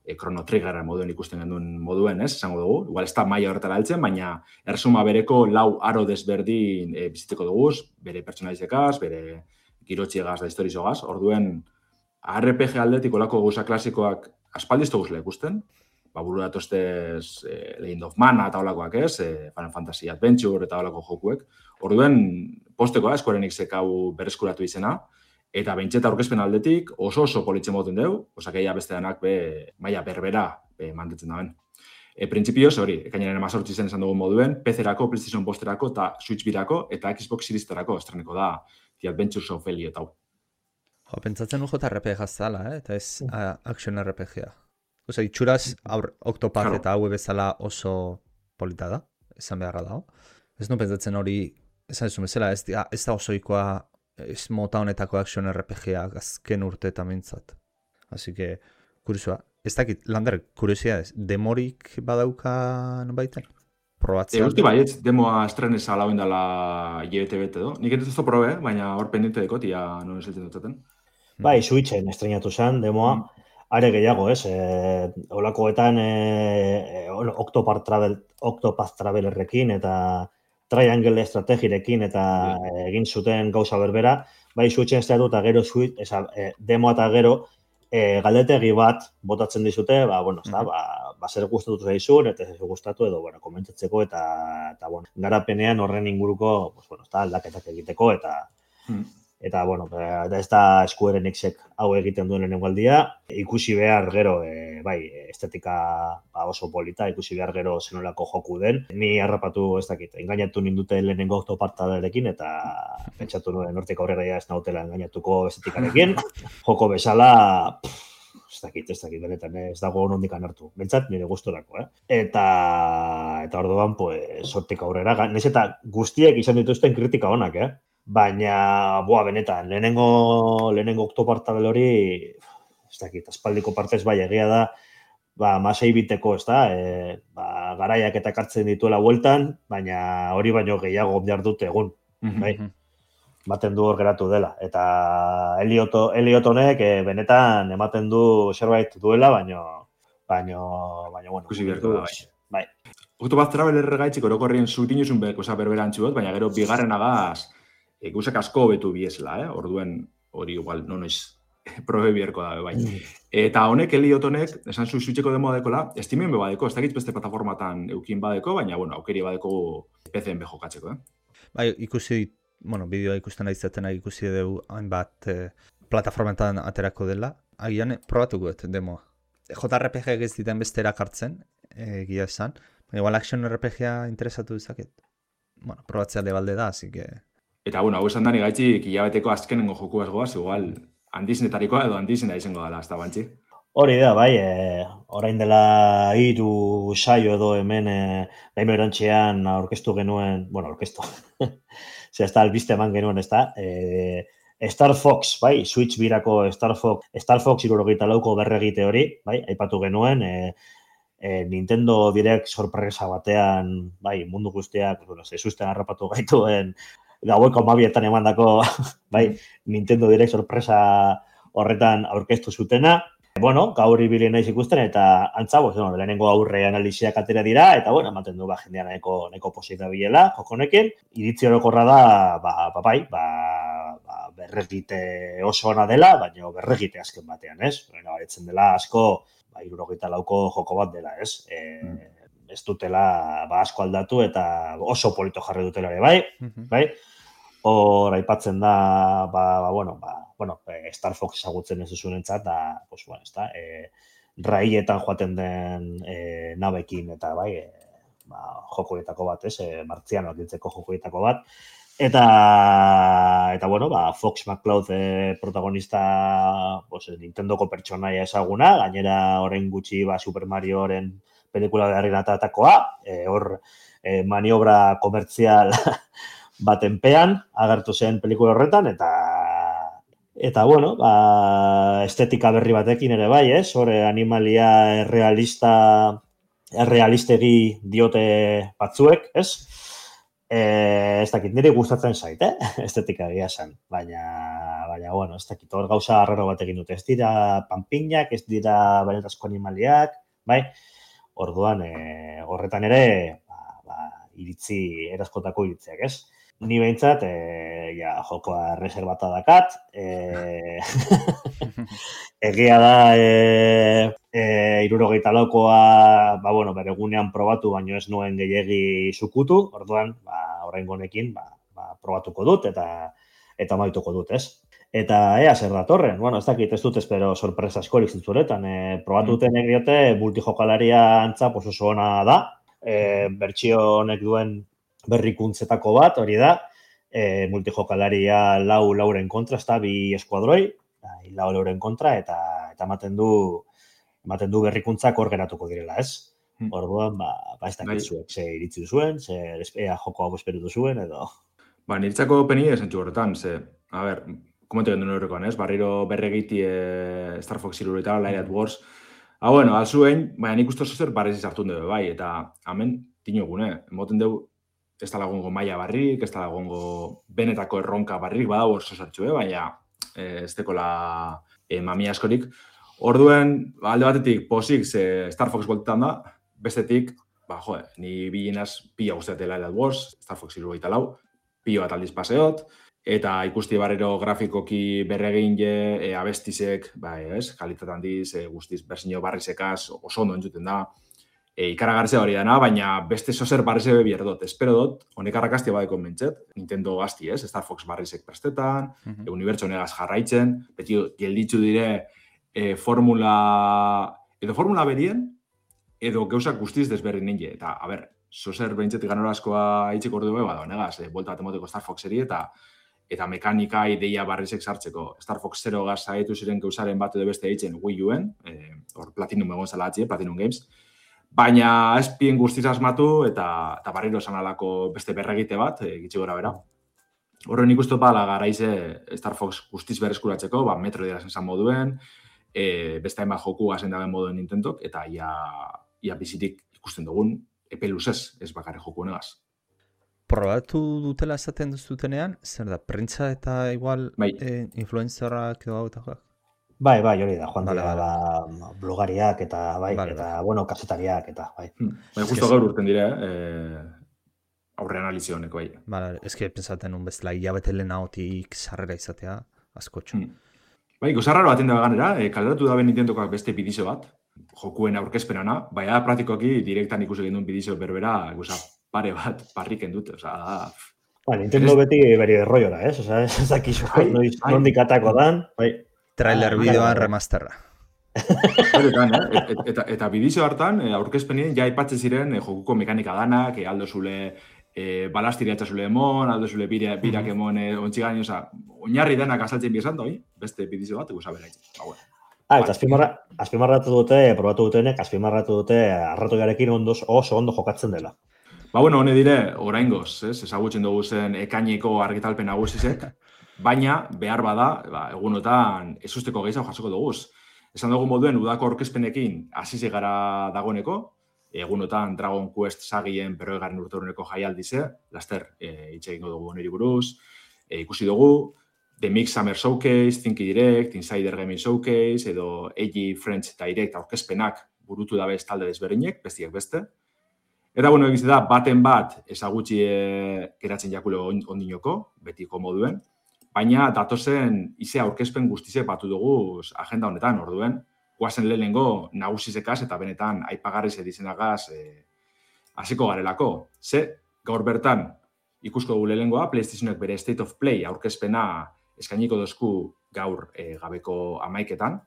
Chrono Trigger moduen ikusten genduen moduen, esango dugu. Igual ez da maila horretara heltzen, baina ersuma bereko 4 aro desberdin bizitzeko dugu, bere pertsonalizekaz, bere girotxiegaz da historizogaz. Orduen, RPG aldetik olako gauza klasikoak aspaldizto guzela ikusten, buru datostez Legend of Mana eta olakoak ez, Final Fantasy Adventure eta olako jokuek. Orduen, postekoa, Square Enixek hau berreskuratu izena, eta behintzeta aurkezpen aldetik oso politzen moten dugu, osakeia beste denak maila berbera mantetzen daben. Printzipioz, hori, ekainaren 18 zen esan dugu moduen, PC-erako, PlayStation Posterako eta Switch birako eta Xbox Series-erako estreneko da The Adventures of Elliot hau.
Pentsatzen nu JRPG zala, eta ez action RPG-a. Itxuraz, Octopath eta hau bezala oso polita da, esan beharra dago. Ez nu pentsatzen hori, esan ez bezala, ez da osoikoa ez mota honetako action RPG-a azken urte eta mintzat. Así que, kuriosua. Ez dakit, Lander, kuriosidades, demorik badauka baiten? Probatzea?
Usti baietz, demoa estrenez alauen dela JBT edo. Nik ez dut probe, baina hor pendiente dekot, ia non eseltzen dutaten.
Switchen estrenatu zen, demoa. are gehiago, ez? Olakoetan Octopath Travelerrekin eta Triangle estrategirekin eta egin zuten gauza berbera, bai Switchen ez eta gero demoa eta gero galdetegi bat botatzen dizute, zer gustatu zaizun eta ez gustatu edo komentatzeko eta garapenean horren inguruko aldaketak egiteko eta ez da Square Enixek hau egiten duen lehenengo aldia, ikusi behar gero, estetika oso polita, ikusi behar gero zenolako joku den. Ni harrapatu ez dakit, engainatu nindute lehenengo Octopathrekin eta pentsatu nuen hortik aurrera ez nautela engainatuko estetikarekin. Joko bezala, ez dakit, benetan, ez dago nondik hartu. Bentsat, nire gustorako, Eta orduan, hortik aurrera, nahiz eta guztiek izan dituzten kritika onak, Baina, benetan, lehenengo Octopath hori, ez dakit, aspaldiko partez egia da, masei biteko, ez da, garaiak eta kartzen dituela bueltan, baina hori baino gehiago behar dute egun, bai? Ematen du hor geratu dela. Eta Elliot honek benetan ematen du zerbait duela, baina,
ikusi beharko da,
bai.
Octopath Traveler gaitzik orokorrien zutin uzun berberantzu bat, baina gero bigarren agaz, ikusak asko betu biesela, Orduen hori igual, noiz probe biherko da, bai. Eta honek, Elliot honek, esan zu Switcheko demoa dekola, Steamen badeko, ez dakit beste plataformatan eukin badeko, baina, aukeri badeko PC-en bejokatzeko,
Bai, ikusi, bideoa ikusten aizaten ikusi dugu hainbat plataformetan aterako dela, agian probatuko dut demoa. JRPG ez diten beste erakartzen, egia esan, baina igual action RPG-a interesatu dezaket. Probatzea lebalde da, así que...
Eta, hau esan dani gaitzik, hilabeteko azkenengo joku goaz, igual, handizenetarikoa edo handizena izango dela, ez da bantzi?
Hori da, bai, orain dela 3 saio edo hemen Gaime Erantxean aurkeztu genuen, aurkeztu, ez da, albiste eman genuen, ez da, Star Fox, bai, Switch birako Star Fox 64ko berregite hori, bai, aipatu genuen, Nintendo Direct sorpresa batean, bai, mundu guztiak, zezusten harrapatu gaituen, gaueko 12etan emandako, bai, Nintendo Direct sorpresa horretan aurkeztu zutena. Gaur ibili naiz ikusten eta antza, lehenengo aurre analiziak atera dira eta, ematen du jendean nahiko pozik dabilela, jokonekin. Iritzi orokorra da, berregite oso ona dela, baina berregite azken batean, ez? Baretzen dela asko, 74ko joko bat dela, ez? Ez dutela asko aldatu eta oso polito jarri dutela ere, bai? Hor aipatzen da, Star Fox ezagutzen ez duzunentzat, da, raietan joaten den nabekin eta, bai, jokoetako bat, ez, martzianoak diltzeko jokoetako bat. Eta Fox McCloud protagonista, Nintendoko pertsonaia ezaguna, gainera orain gutxi Super Marioren pelikula beharrinatatakoa, hor maniobra komertzial batenpean agertu zen pelikula horretan, eta estetika berri batekin ere bai, ez? Hore animalia errealistegi diote batzuek, ez? Ez dakit, niri gustatzen zait, estetika egia zen, baina, ez dakit, hor gauza arraro batekin dute, ez dira panpinak, ez dira benetazko animaliak, bai? Orduan, horretan ere, iritzi, erazkotako iritziak, ez? Ni behintzat, jokoa reservata dakat, egia da, 74koa, bere egunean probatu, baino ez nuen gehiegi zukutu, orduan, orain honekin, probatuko dut, eta maituko dut, ez? Eta ea zer datorren, ez dakit, ez dut espero sorpresa askorik zintzuretan, probatuten diote multijokalaria antza oso ona da, bertsio honek duen berrikuntzetako bat, hori da, multijokalaria lauren kontra, ez da, 2 eskuadroi, lauren kontra, eta ematen du berrikuntzak hor geratuko direla, ez? Orduan, ez dakit zuek, ze iritzi duzuen, ze joko hau esperu duzuen, edo...
Niritzako peni esentxu horretan, ze, komentu gendu horrekoan, ez? Barriro berregiti Star Fox irureta, Light at Wars, alzuen, baina nik uste zozer barrezi sartun dugu, bai, eta hemen tinogune, emoten dugu, ez da lagongo maia barrik, ez da lagongo benetako erronka barrik, badau hor zozartxu, baina ez dekola mamia askorik. Orduen, alde batetik, posik, Star Fox voltetan da, bestetik, ni bilinaz pila guztiatela Elad Wars, Star Fox 74, pilo bat aldiz paseot, eta ikusti barrero grafikoki berregin abestizek, kalitatean diz, guztiz berzinio barrizekaz oso ondo entzuten da, ikaragartzea hori dana, baina beste zozer barrize bebier dut. Espero dut, honek arrakaztia badeko mentzet, Nintendo gazti, Star Fox barrizek prestetan, unibertso negaz jarraitzen, beti gelditzu dire formula berien, edo gauzak guztiz desberdin ninge. Eta, zozer behintzetik ganorazkoa itxiko ordu bada, negaz, bolta bat emoteko Star Foxeri eta mekanika ideia barrizek sartzeko. Star Fox 0 gaz zaitu ziren gauzaren bat edo beste eitzen Wii U-en, Platinum egon zela atzi, Platinum Games, baina espien guztiz asmatu eta barriro esan alako beste berregite bat, gitxi gora bera. Horren ikustu bala garaize Star Fox guztiz berreskuratzeko, metro dira zen moduen, beste hainbat joku gazen daben moduen Nintendok, eta ia bizitik ikusten dugun, epe luzez, ez bakarri joku honegaz.
Probatu dutela esaten duzutenean, zer da, printza eta igual influencerrak edo gautakoak?
Bai, hori da, joan dira, blogariak eta, kazetariak eta, bai.
Justo gaur urten dire, aurre analizio honek, bai.
Eske, pensaten un bezala, hilabete lehenagotik sarrera izatea, askotxo.
Gozarraro baten da ganera, kaleratu da Nintendokoak beste bidizo bat, jokuen aurkezpenana, baina praktikoki direktan ikusi genduen bidizo berbera, pare bat parriken dut,
Nintendo beti beri derroiora, ez dakizu, nondik atako dan, bai.
Trailer bideoan remasterra.
Eta bidizo hartan, aurkezpenien ja aipatzen ziren jokuko mekanika danak, aldo zule balastiri atxazule emon, aldo zule birak emon ontzigain, oinarri denak azaltzen biezan doi, beste bidizo bat, guza bera itzen.
Eta azpimarratu dute, probatu dutenek, azpimarratu dute arratoiarekin oso ondo jokatzen dela.
Hone dire, oraingoz, ezagutzen dugu zen ekaineko argitalpen nagusizek, baina behar bada, egunotan ezusteko gehiago jasoko duguz. Esan dugu moduen udako aurkezpenekin hasi gara dagoeneko, egunotan Dragon Quest sagien 40. urteurreneko jaialdize, laster hitz egingo dugu niri buruz, ikusi dugu, The Mix Summer Showcase, Thinky Direct, Insider Gaming Showcase, edo AG French Direct aurkezpenak burutu dabez talde desberdinek, bestiak beste. Eta, egiz da, baten bat ezagutxi geratzen jakulo ondinoko, betiko moduen, baina datozen ize aurkezpen guztize batu dugu agenda honetan, orduen, guazen lehenengo nagusizekaz eta benetan aipagarriz edizenagaz hasiko garelako. Gaur bertan ikusko dugu lehenengoa, PlayStationek bere State of Play aurkezpena eskainiko dozku gaur gabeko 11etan.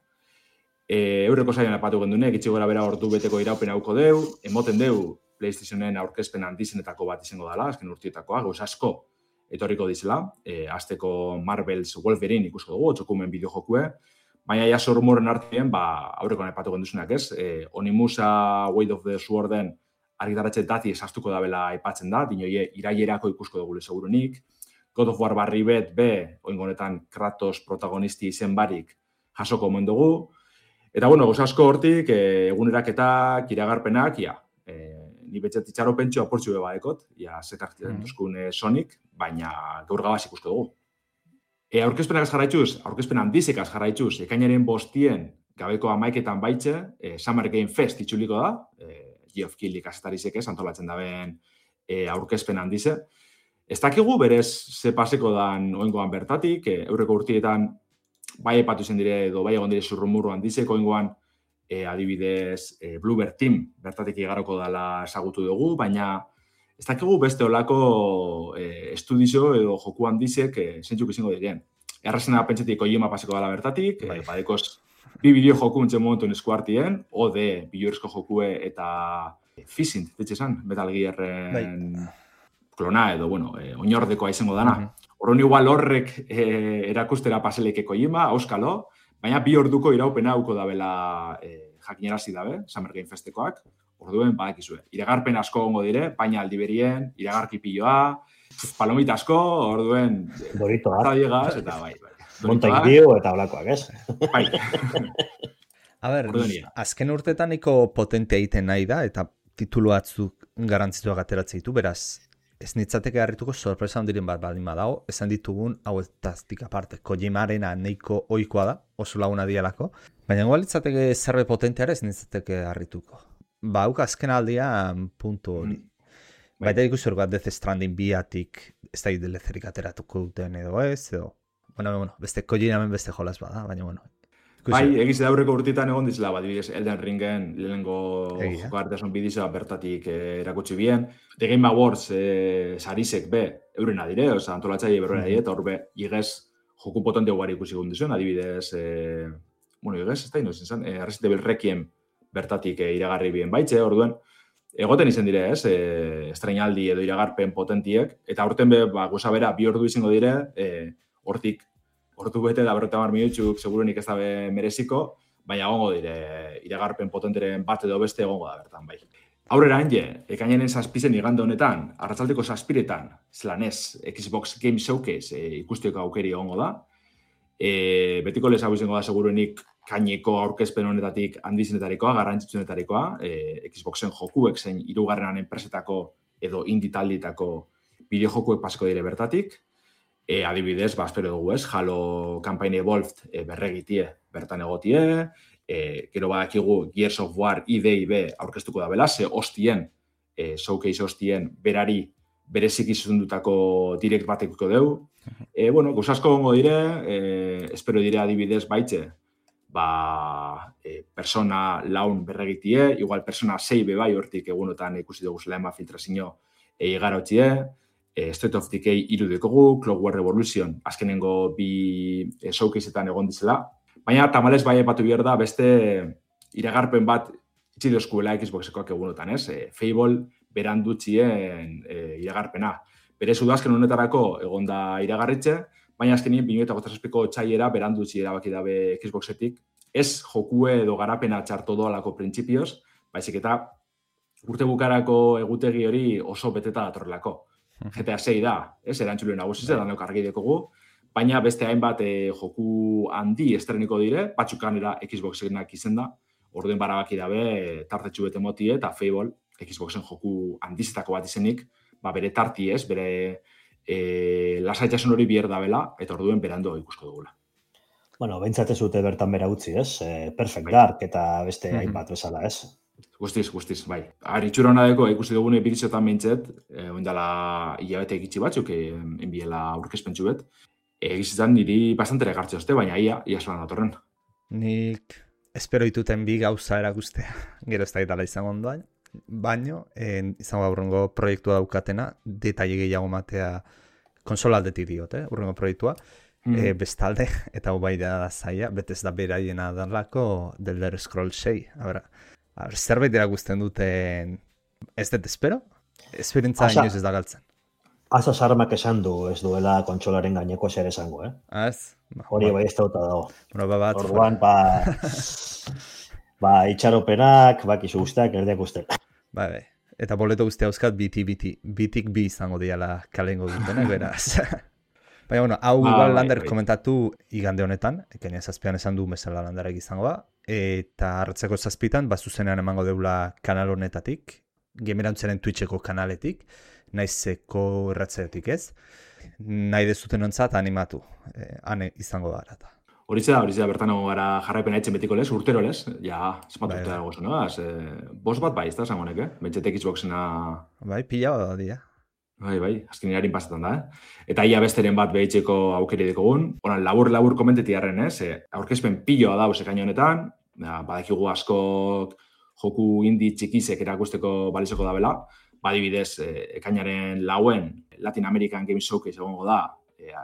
Eureko zailan apatu gendune, gitxi gora bera ordu beteko iraupen hauko deu, emoten deu PlayStationen aurkezpen handizenetako bat izango dela, azken urtietakoa, gauz asko etorriko dizela, azteko Marvel's Wolverine ikusko dugu, otxokumen bideojokue, baina ja sormoren artean, aurreko nepatu genduzunak ez, Onimusa Weight of the Sworden argitaratxe dati esaztuko dabela aipatzen da, dinoie irailerako ikusko dugu segurunik, God of War barri bet, oingonetan Kratos protagonisti izen barik jasoko omen dugu, eta gauz asko hortik, eguneraketak, iragarpenak, ni betxet itxaro pentsu aportxu beba ekot, zetak duzkun Sonic, baina gaur gabaz ikusko dugu. Aurkezpenak jarraituz, aurkezpen handizekaz jarraituz, ekainaren 5 gabeko 11etan baitxe, Summer Game Fest itxuliko da, Geoff Keighley kasetarizek antolatzen daben aurkezpen handize. Ez dakigu berez ze paseko dan oingoan bertatik, eurreko urtietan bai epatu zen dire edo bai egon dire zurrumurru handizeko oingoan, adibidez Bluebird Team bertatik igaroko dela ezagutu dugu, baina ez dakigu beste olako estudizo edo joku handizek zentzuk izango diren. Errazena pentsetik Kojima paseko dela bertatik, badekoz bi bideo joku entzen momentuen eskuartien, ode biluerezko jokue eta Fizint, ditxe esan, Metal Gearren klona edo, oinordekoa izango dana. Horren igual horrek erakustera paseleke Kojima, auskalo, baina 2 orduko iraupena hauko dabela jakinarazi dabe, Summer Game Festekoak, orduen badakizue. Iragarpen asko ongo dire, baina aldiberien, iragarki piloa, palomita asko, orduen
Doritoak.
Eta bai.
Montaik dio eta olakoak, ez?
Bai.
Azken urtetan niko potentea egiten nahi da, eta titulu batzuk garantzituak ateratzen ditu, beraz, ez nitzateke harrituko sorpresa handiren bat baldin badago, esan ditugun hauetaztik aparte, Kojimarena nahiko ohikoa da, oso laguna dialako, Baina igual litzateke zerbe potenteara ez nintzateke harrituko. Ba, hauk azken aldian puntu hori. Baita ikusi hor bat Death Stranding biatik ez da idelezerik ateratuko duten edo ez, edo... Bueno, beste Kojiramen beste jolas bada, baina bueno.
Bai, egiz aurreko urtitan egon dizela, adibidez, Elden Ringen lehenengo jokartasun bidizoa bertatik erakutsi bien. The Game Awards sarisek be, eurena dire, oza, antolatzaile berrena dire, eta hor be, igez joku potente ugari ikusi gundizuen, adibidez, igez, ez da inoz izan, Resident Evil Requiem bertatik iragarri bien baitze, orduen, egoten izen dire, ez, estrainaldi edo iragarpen potentiek, eta aurten be, goza bera, 2 ordu izango dire, hortik, ordu bete da 50 minutzuk seguruenik ez dabe mereziko, baina egongo dire, iragarpen potenteren bat edo beste egongo da bertan, bai. Aurrera hanje, ekainenen 7 igande honetan, arratzaldeko 7 zelanez, Xbox Game Showcase ikusteko aukeri egongo da. Betiko lez hau izango da seguruenik kaineko aurkezpen honetatik handizenetarikoa, garrantzitsunetarikoa, Xboxen jokuek zein 3. enpresetako edo indie taldeetako bideojokuek pasako dire bertatik. Adibidez, espero dugu ez, Halo Campaign Evolved berregitie bertan egotie, gero badakigu Gears of War IDIB aurkeztuko da bela, ze hostien, showcase hostien berari berezik izundutako direct batekuko deu. Gauzasko gongo dire, espero dire adibidez baitze, Persona laun berregitie, igual Persona 6 bebai hortik egunotan ikusi dugu zela filtrazio igarotxie, State of Decay 3 dekogu, Clockwork Revolution azkenengo 2 showcaseetan egon dizela. Baina tamalez bai batu behar da beste iragarpen bat itxi dozkuela Xboxekoak egunotan, ez? Fable berandutxien iragarpena. Berez udazken honetarako egon da iragarritxe, baina azkenien 2007ko txaiera berandutxi erabaki dabe Xboxetik. Ez jokue edo garapena txarto doalako printzipioz, baizik eta urte bukarako egutegi hori oso beteta datorrelako. GTA 6 da, ez, erantzule nagusiz, danok argi dekogu, baina beste hainbat joku handi estreniko dire, batzukanera Xboxenak izen da, orduen barabaki dabe tartetxu bete motie, eta Fable, Xboxen joku handizetako bat izenik, bere tarti ez, bere lasaitasun hori bier dabela, eta orduen berando ikusko dugula.
Bueno, behintzat ez dute bertan bera utzi, ez? Perfect Dark eta beste hainbat bezala, ez?
Guztiz, bai. Itxura hona deko, ikusi dugune bidizotan mintzet, oindala hilabete egitzi batzuk, enbiela aurkezpentsu bet. Egizitzen niri bastantere gartze oste, baina ia zoran datorren.
Nik espero dituten bi gauza erakustea, gero ez da itala izango ondoan, baino, izango aurrengo proiektua daukatena, detaile gehiago matea konsolaldetik diot, urrengo proiektua, bestalde, eta hau bai da zaila, betez da beraiena dalako The Elder Scrolls 6, zerbait erakusten duten, ez dut espero? Esperientza inoiz ez da galtzen.
Asa sarmak esan du ez duela kontsolaren gaineko zer esango,
Ez?
Hori bai ez dauta dago.
Orduan,
itxaropenak, bakizu guztiak, erdeak guztiak.
Bai. Eta boleto guztia euskat bitik bi izango diala kalengo dutenak, beraz. Baina, bueno, hau Lander komentatu igande honetan, ekaina 7 esan du bezala Landerek izango da, eta hartzeko 7 zuzenean emango deula kanal honetatik, Gamerantzaren Twitcheko kanaletik, naizeko erratzeetik ez, nahi dezuten ontzat animatu, hane izango da arata.
Horitze da, bertan egon gara jarraipena etxen betiko lez, urtero lez, ja, esmatu urte dago zuen, bost bat bai, ez da zangonek, Bentsetek Xboxena...
Bai, pila bat da, dia.
Bai, azken harin pasetan da, Eta ia besteren bat behitzeko aukeri dekogun. Horan, labur komenteti harren, aurkezpen piloa dauz ekaino honetan, badakigu askok joku indi txikizek erakusteko balizoko da bela, badibidez, ekainaren 4 Latin American Game Showcase egongo da,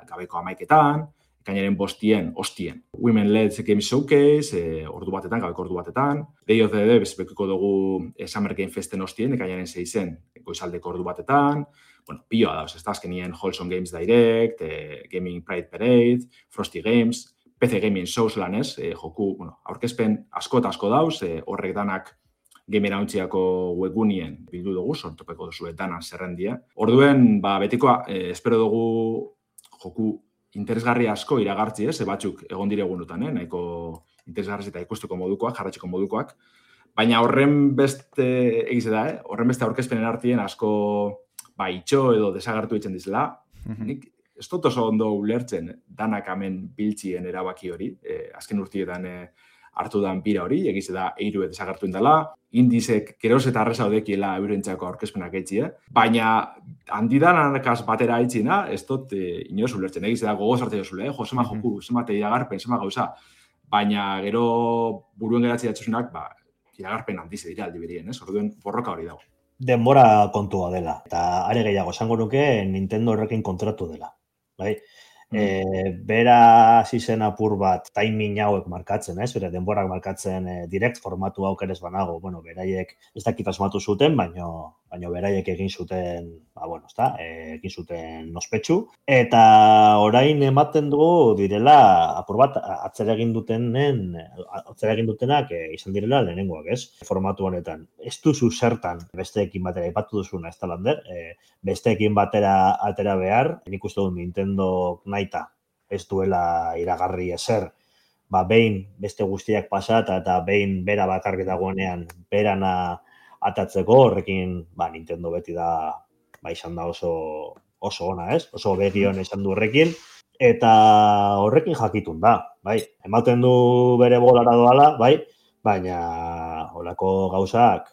gabeko 11etan, ekainaren 5 hostien. Women Led Game Showcase, ordu batetan, gabeko ordu batetan. Day of the Dead, bezpekiko dugu Summer Game Festen hostien, ekainaren 6 goizaldeko ordu batetan. Bueno, piloa dauz, ez da, azkenien Wholesome Games Direct, Gaming Pride Parade, Frosty Games, PC Gaming Shows lan ez, joku, aurkezpen asko eta asko dauz, horrek danak Gamerauntziko webgunien bildu dugu, sortopeko duzu danan zerrendia. Orduen, betikoa, espero dugu joku interesgarri asko iragartzi ez, batzuk egon dire egunotan, nahiko interesgarri eta ikusteko modukoak, jarratxeko modukoak, baina horren beste egize da, horren beste aurkezpenen artien asko itxo edo desagartu itzen dizela. Nik ez dut oso ondo ulertzen danak hemen biltzien erabaki hori, azken urtietan hartu dan bira hori, egiz da eiru desagertu indala, indizek geroz eta arreza odekiela eurentzako aurkezpenak eitzi, baina handidan anakaz batera aitzina, ez dut inoz ulertzen, egiz da gogoz hartzen jozule, zema joku, zema iragarpen, zema gauza, baina gero buruen geratzi datzuzunak, iragarpen handize dira aldi berien, orduen borroka hori dago.
Denbora kontua dela, eta are gehiago esango nuke Nintendo horrekin kontratu dela, bai? Bera hasi zen apur bat timing hauek markatzen, bere denborak markatzen direct formatu aukerez banago, beraiek ez dakit asmatu zuten, baina beraiek egin zuten, egin zuten ospetsu, eta orain ematen dugu direla apur bat atzera egin dutenak izan direla lehenengoak, formatu honetan. Ez duzu zertan besteekin batera ipatu duzuna, ez da lander, besteekin batera atera behar, nik uste dut Nintendo naita ez duela iragarri ezer, behin beste guztiak pasata eta behin bera bakarrik dagoenean berana atatzeko, horrekin Nintendo beti da izan da oso ona, oso begion izan du horrekin, eta horrekin jakitun da, ematen du bere bolara doala, baina holako gauzak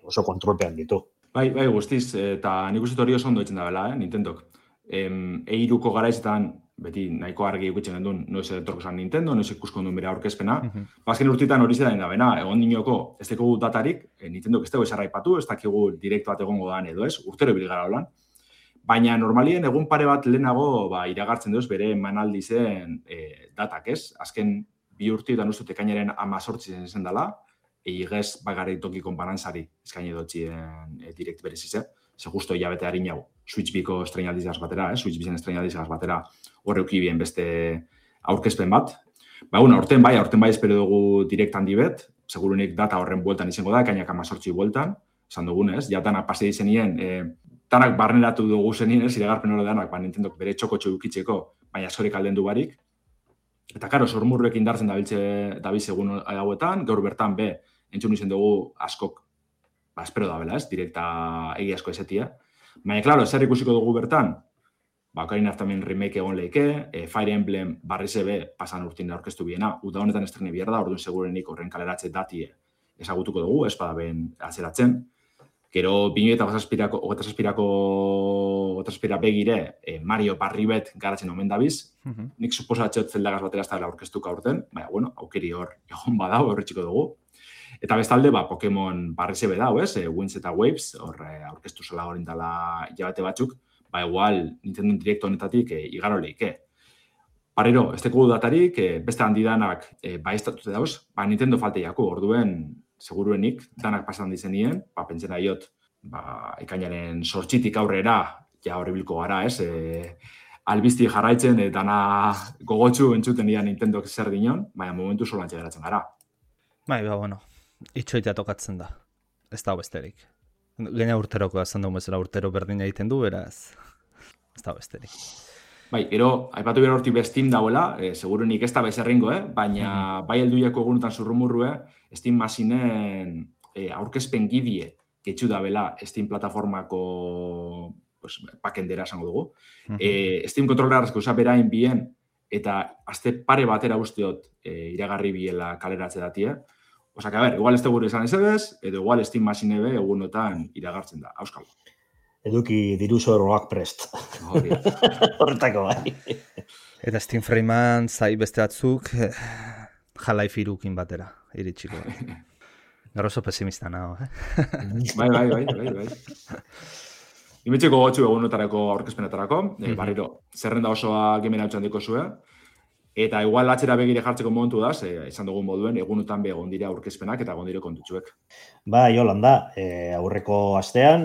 oso kontrolpean ditu.
Bai, guztiz, eta nik uste hori oso ondo etzen da bela, Nintendok. Eiruko garaizetan, beti nahiko argi ikutzen gendun, noiz etorko zan Nintendo, noiz ikusko duen bere aurkezpena. Azken urtitan hori zera da bena, egon dinoko, ez dakigu datarik, Nintendok ez dago esarra ipatu, ez dakigu direkt bat egongo dan edo ez, urtero bilgara holan. Baina normalien egun pare bat lehenago iragartzen duz bere emanaldi zen datak, ez? Azken bi urtietan ustut ekainaren 18 zen dela, igez bagarri toki konparantzari eskaini dotxien direkt berezize. Ze justo hilabete harin jau, Switch biko estrenaldizaz batera, Switch bizen estrenaldizaz batera horreuki bien beste aurkezpen bat. Aurten bai espero dugu direkt handi bet, segurunik data horren bueltan izango da, ekainak 18 bueltan, esan dugunez, ja danak pase dizenien, danak barneratu dugu zenien, iragarpen hori danak, Nintendok bere txoko ukitzeko, baina askorik alden du barik. Eta karo, sormurruek indartzen dabiz egun hauetan, gaur bertan entzun izen dugu askok espero da bela, direkta egiazko ezetia. Baina, klaro, zer ikusiko dugu bertan? Ocarina of Time remake egon leike, Fire Emblem barrizebe pasan urtin da orkestu biena, uda honetan estrene bihar da, orduan segurenik horren kaleratze datie ezagutuko dugu, espada ben atzeratzen. Gero, 2008 begire, Mario Parribet garatzen omen dabiz. Nik suposatxot zeldagaz batera ez da orkestuka urten, baina, aukeri hor egon badau, horretxiko dugu. Eta bestalde, Pokemon barrizebe dau, Winds eta Waves, hor aurkeztu zela horin dela hilabete batzuk, igual Nintendo Direct honetatik igaro leike. Parrero, ez tekugu datarik, beste handidanak estatute dauz, Nintendo falteiako, orduen, seguruenik, danak pasan dizenien, pentsena iot, ekainaren sortxitik aurrera, ja horribilko gara, albizti jarraitzen, dana gogotsu entzuten dira Nintendok zer dinon, baina momentu solantxe geratzen gara.
Itxoitea tokatzen da. Ez da besterik. Gaina urteroko azan dugu bezala urtero berdina egiten du, beraz. Ez da besterik.
Gero, aipatu behar hortik Steam dauela, segurunik ez da bezerringo, baina bai helduiako egunetan zurrumurrue, Steam masinen aurkezpen gidie getxu da bela Steam plataformako pakendera esango dugu. Steam kontrolarazko usaperain bien, eta azte pare batera usteot iragarri biela kaleratze datie. Osa, igual ez dugu esan ezedez, edo igual Steam masinebe egunotan iragartzen da. Auskal.
Eduki diruzo erroak prest. Horretako bai.
Eta Steam Framean zai beste batzuk Half-Life 3-kin batera, iritsiko. Gero oso pesimista nago,
Bai. Imetxeko gotxu egunotarako aurkezpenetarako, barriro, zerrenda osoa gemen hau txandiko zue, eta igual atxera begire jartzeko momentu da, izan dugun moduen, egunotan egon dira aurkezpenak eta egon dire kontutxuek.
Jolanda, aurreko astean,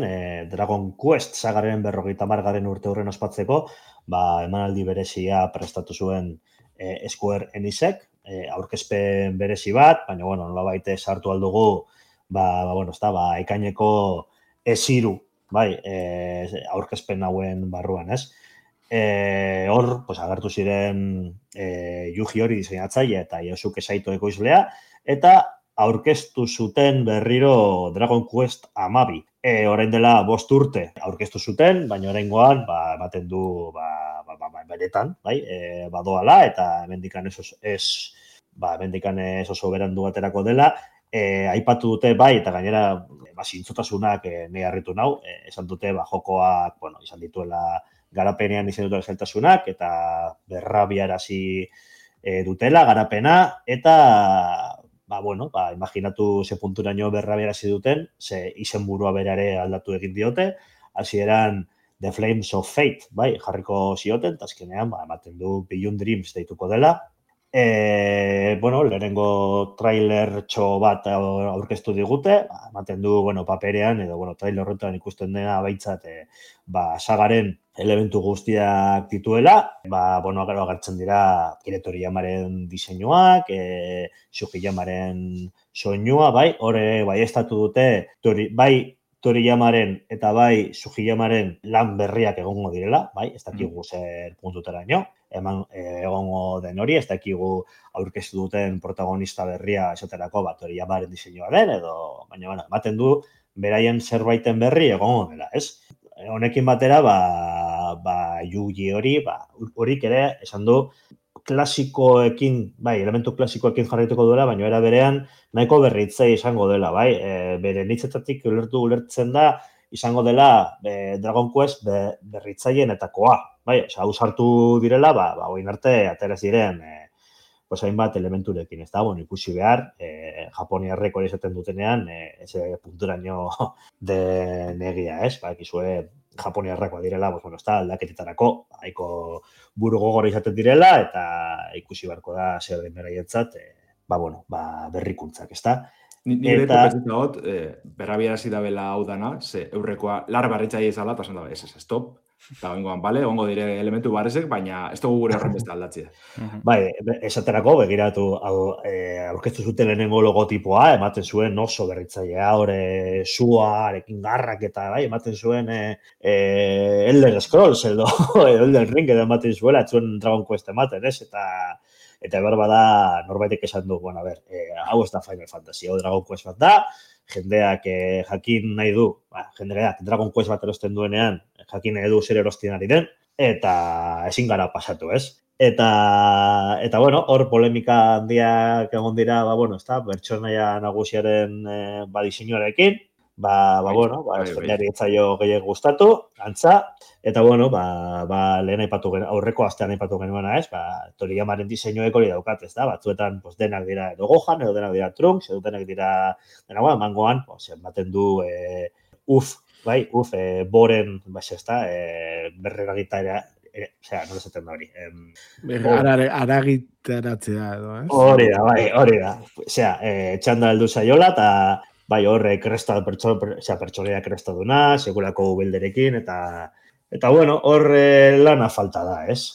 Dragon Quest sagaren 50. urte horren ospatzeko, emanaldi berezia prestatu zuen Square Enixek, aurkezpen berezi bat, baina, nolabait sartu aldugu, ekaineko esiru, aurkezpen hauen barruan, ez? Hor, agertu ziren Yuji Hori diseinatzaile eta Yosuke Saito ekoizlea, eta aurkeztu zuten berriro Dragon Quest 12. Orain dela 5 urte aurkeztu zuten, baina oraingoan ematen du benetan, badoala, eta hemendikan ez mendikan oso berandu baterako dela, aipatu dute bai, eta gainera zintzotasunak nahi harritu nau, esan dute jokoak, izan dituela garapenean izan dutela zailtasunak, eta berrabiarazi dutela garapena, eta imaginatu ze punturaino berrabiarazi duten, ze izenburua berare aldatu egin diote, hasieran The Flames of Fate, bai, jarriko zioten, eta azkenean, ematen du Beyond Dreams deituko dela. Lehenengo trailer txo bat aurkeztu digute, ematen du, paperean, edo, trailer horretan ikusten dena baitzat, sagaren elementu guztiak dituela, gero agertzen dira Toriyamaren diseinuak, Sugiyamaren soinua, bai, hori estatu dute, bai, Toriyamaren eta bai Sugiyamaren lan berriak egongo direla, bai, ez dakigu zer puntutaraino, egongo den hori, ez dakigu aurkeztu duten protagonista berria esaterako Toriyamaren diseinua den, edo, baina, ematen du, beraien zerbaiten berri egongo dela, ez? Honekin batera, Yugi horik ere, esan du, klasikoekin, elementu klasikoekin jarraituko duela, baina era berean nahiko berritzea izango dela, bai? Bere nitzetatik ulertzen da, izango dela Dragon Quest berritzaienetakoa, bai? Hau sartu direla, oin arte ateraz diren hainbat elementurekin, ez da, ikusi behar, japoniarrek hori esaten dutenean, eze punturaino den egia, ez? Ikizue japoniarrakoa direla, aldaketetarako, haiko buru gogor izaten direla, eta ikusi beharko da zer den beraientzat, berrikuntzak, ez da?
Nire propetita hot, berrabiarazi dabela hau dana, ze eurrekoa lar barritzaile izala, eta esan dabe, stop, eta oingoan, ongo dire elementu barrezek, baina ez dugu gure horren beste aldatzea.
Bai, esaterako, begiratu, aurkeztu zuten lehenengo logotipoa, ematen zuen oso berritzailea, hori suarekin garrak eta, ematen zuen Elder Scrolls, edo Elden Ring, edo ematen zuela, etzuen Dragon Quest ematen, ez? Eta berbada norbaitek esan du, hau ez da Final Fantasy, hau Dragon Quest bat da, jendeak jakin nahi du, jendeak Dragon Quest bat erosten duenean, jakin nahi du zer erostien ari den, eta ezin gara pasatu, ez? Eta hor polemika handiak egon dira, pertsonaia nagusiaren diseinuarekin, jendeari etzaio gehiago gustatu, antza, eta lehen aurreko astean aipatu genuena, ez? Toriyamaren diseinuek hori daukat, ez da? Batzuetan denak dira edo Gohan, edo denak dira Trunks, edo denak dira mangoan, ematen du boren, ez da, berreragitaria, nola esaten da hori.
Aragitaratzea edo, ez?
Hori da. Txanda heldu zaiola, eta horre pertsonea kresta duna, segurako belderekin, eta horre lana falta da, ez?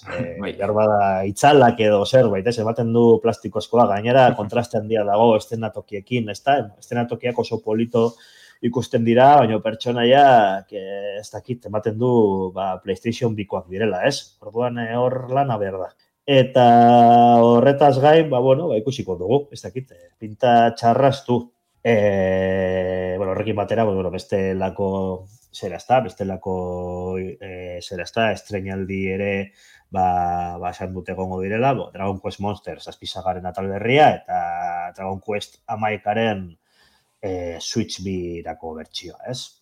Garbada itzalak edo zerbait, ez? Ematen du plastikozkoa, gainera kontraste handia dago estenatokiekin, ez da? Estenatokiak oso polito ikusten dira, baina pertsonaiak ez dakit, ematen du PlayStation bikoak direla, ez? Orduan hor lana behar da. Eta horretaz gain, ikusiko dugu, ez dakit, pinta txarraztu. Horrekin batera, bestelako estreinaldi ere esan dute egongo direla, Dragon Quest Monsters azpizagaren atal berria, eta Dragon Quest amaikaren Switch birako bertsioa, ez?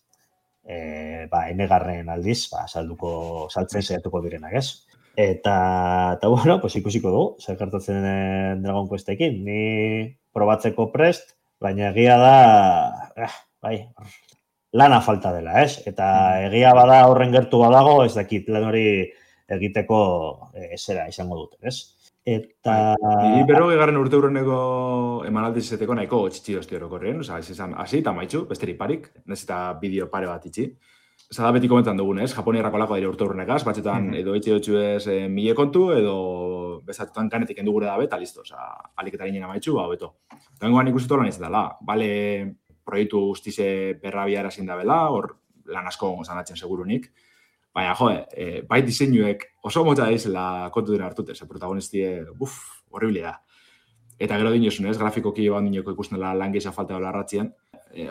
Enegarren aldiz, saltzen saiatuko direnak, ez? Eta ikusiko dugu, zer gertatzen Dragon Questekin, ni probatzeko prest, baina egia da, lana falta dela, ez? Eta egia bada horren gertu badago, ez dakit lan hori egiteko zera izango duten, ez? Eta...
Niri berrogeigarren urte hurreneko emanaldi izeteko nahiko txitsi dozti orokorren, hasi eta maitxu, besteri parik, nezita bideo pare bat itxi. Zada beti komentan dugun, ez? Japoniarrako lako dira urte hurrenekaz, batxetan edo itxi dutxu ez mile kontu, edo bezatutan kanetik endu gure dabe, eta listo, aliketaren jena maitxu, beto. Tengoan ikusitu lan izatela, bale proiektu guztize berrabia erazin dabela, hor lan asko zanatzen segurunik, baina, bai diseinuek oso motza daizela kontu dira hartute, ze protagonistie, horribile da. Eta gero dinosun, ez, grafikoki joan dinoko ikusten lan gehiago falta dola arratzien.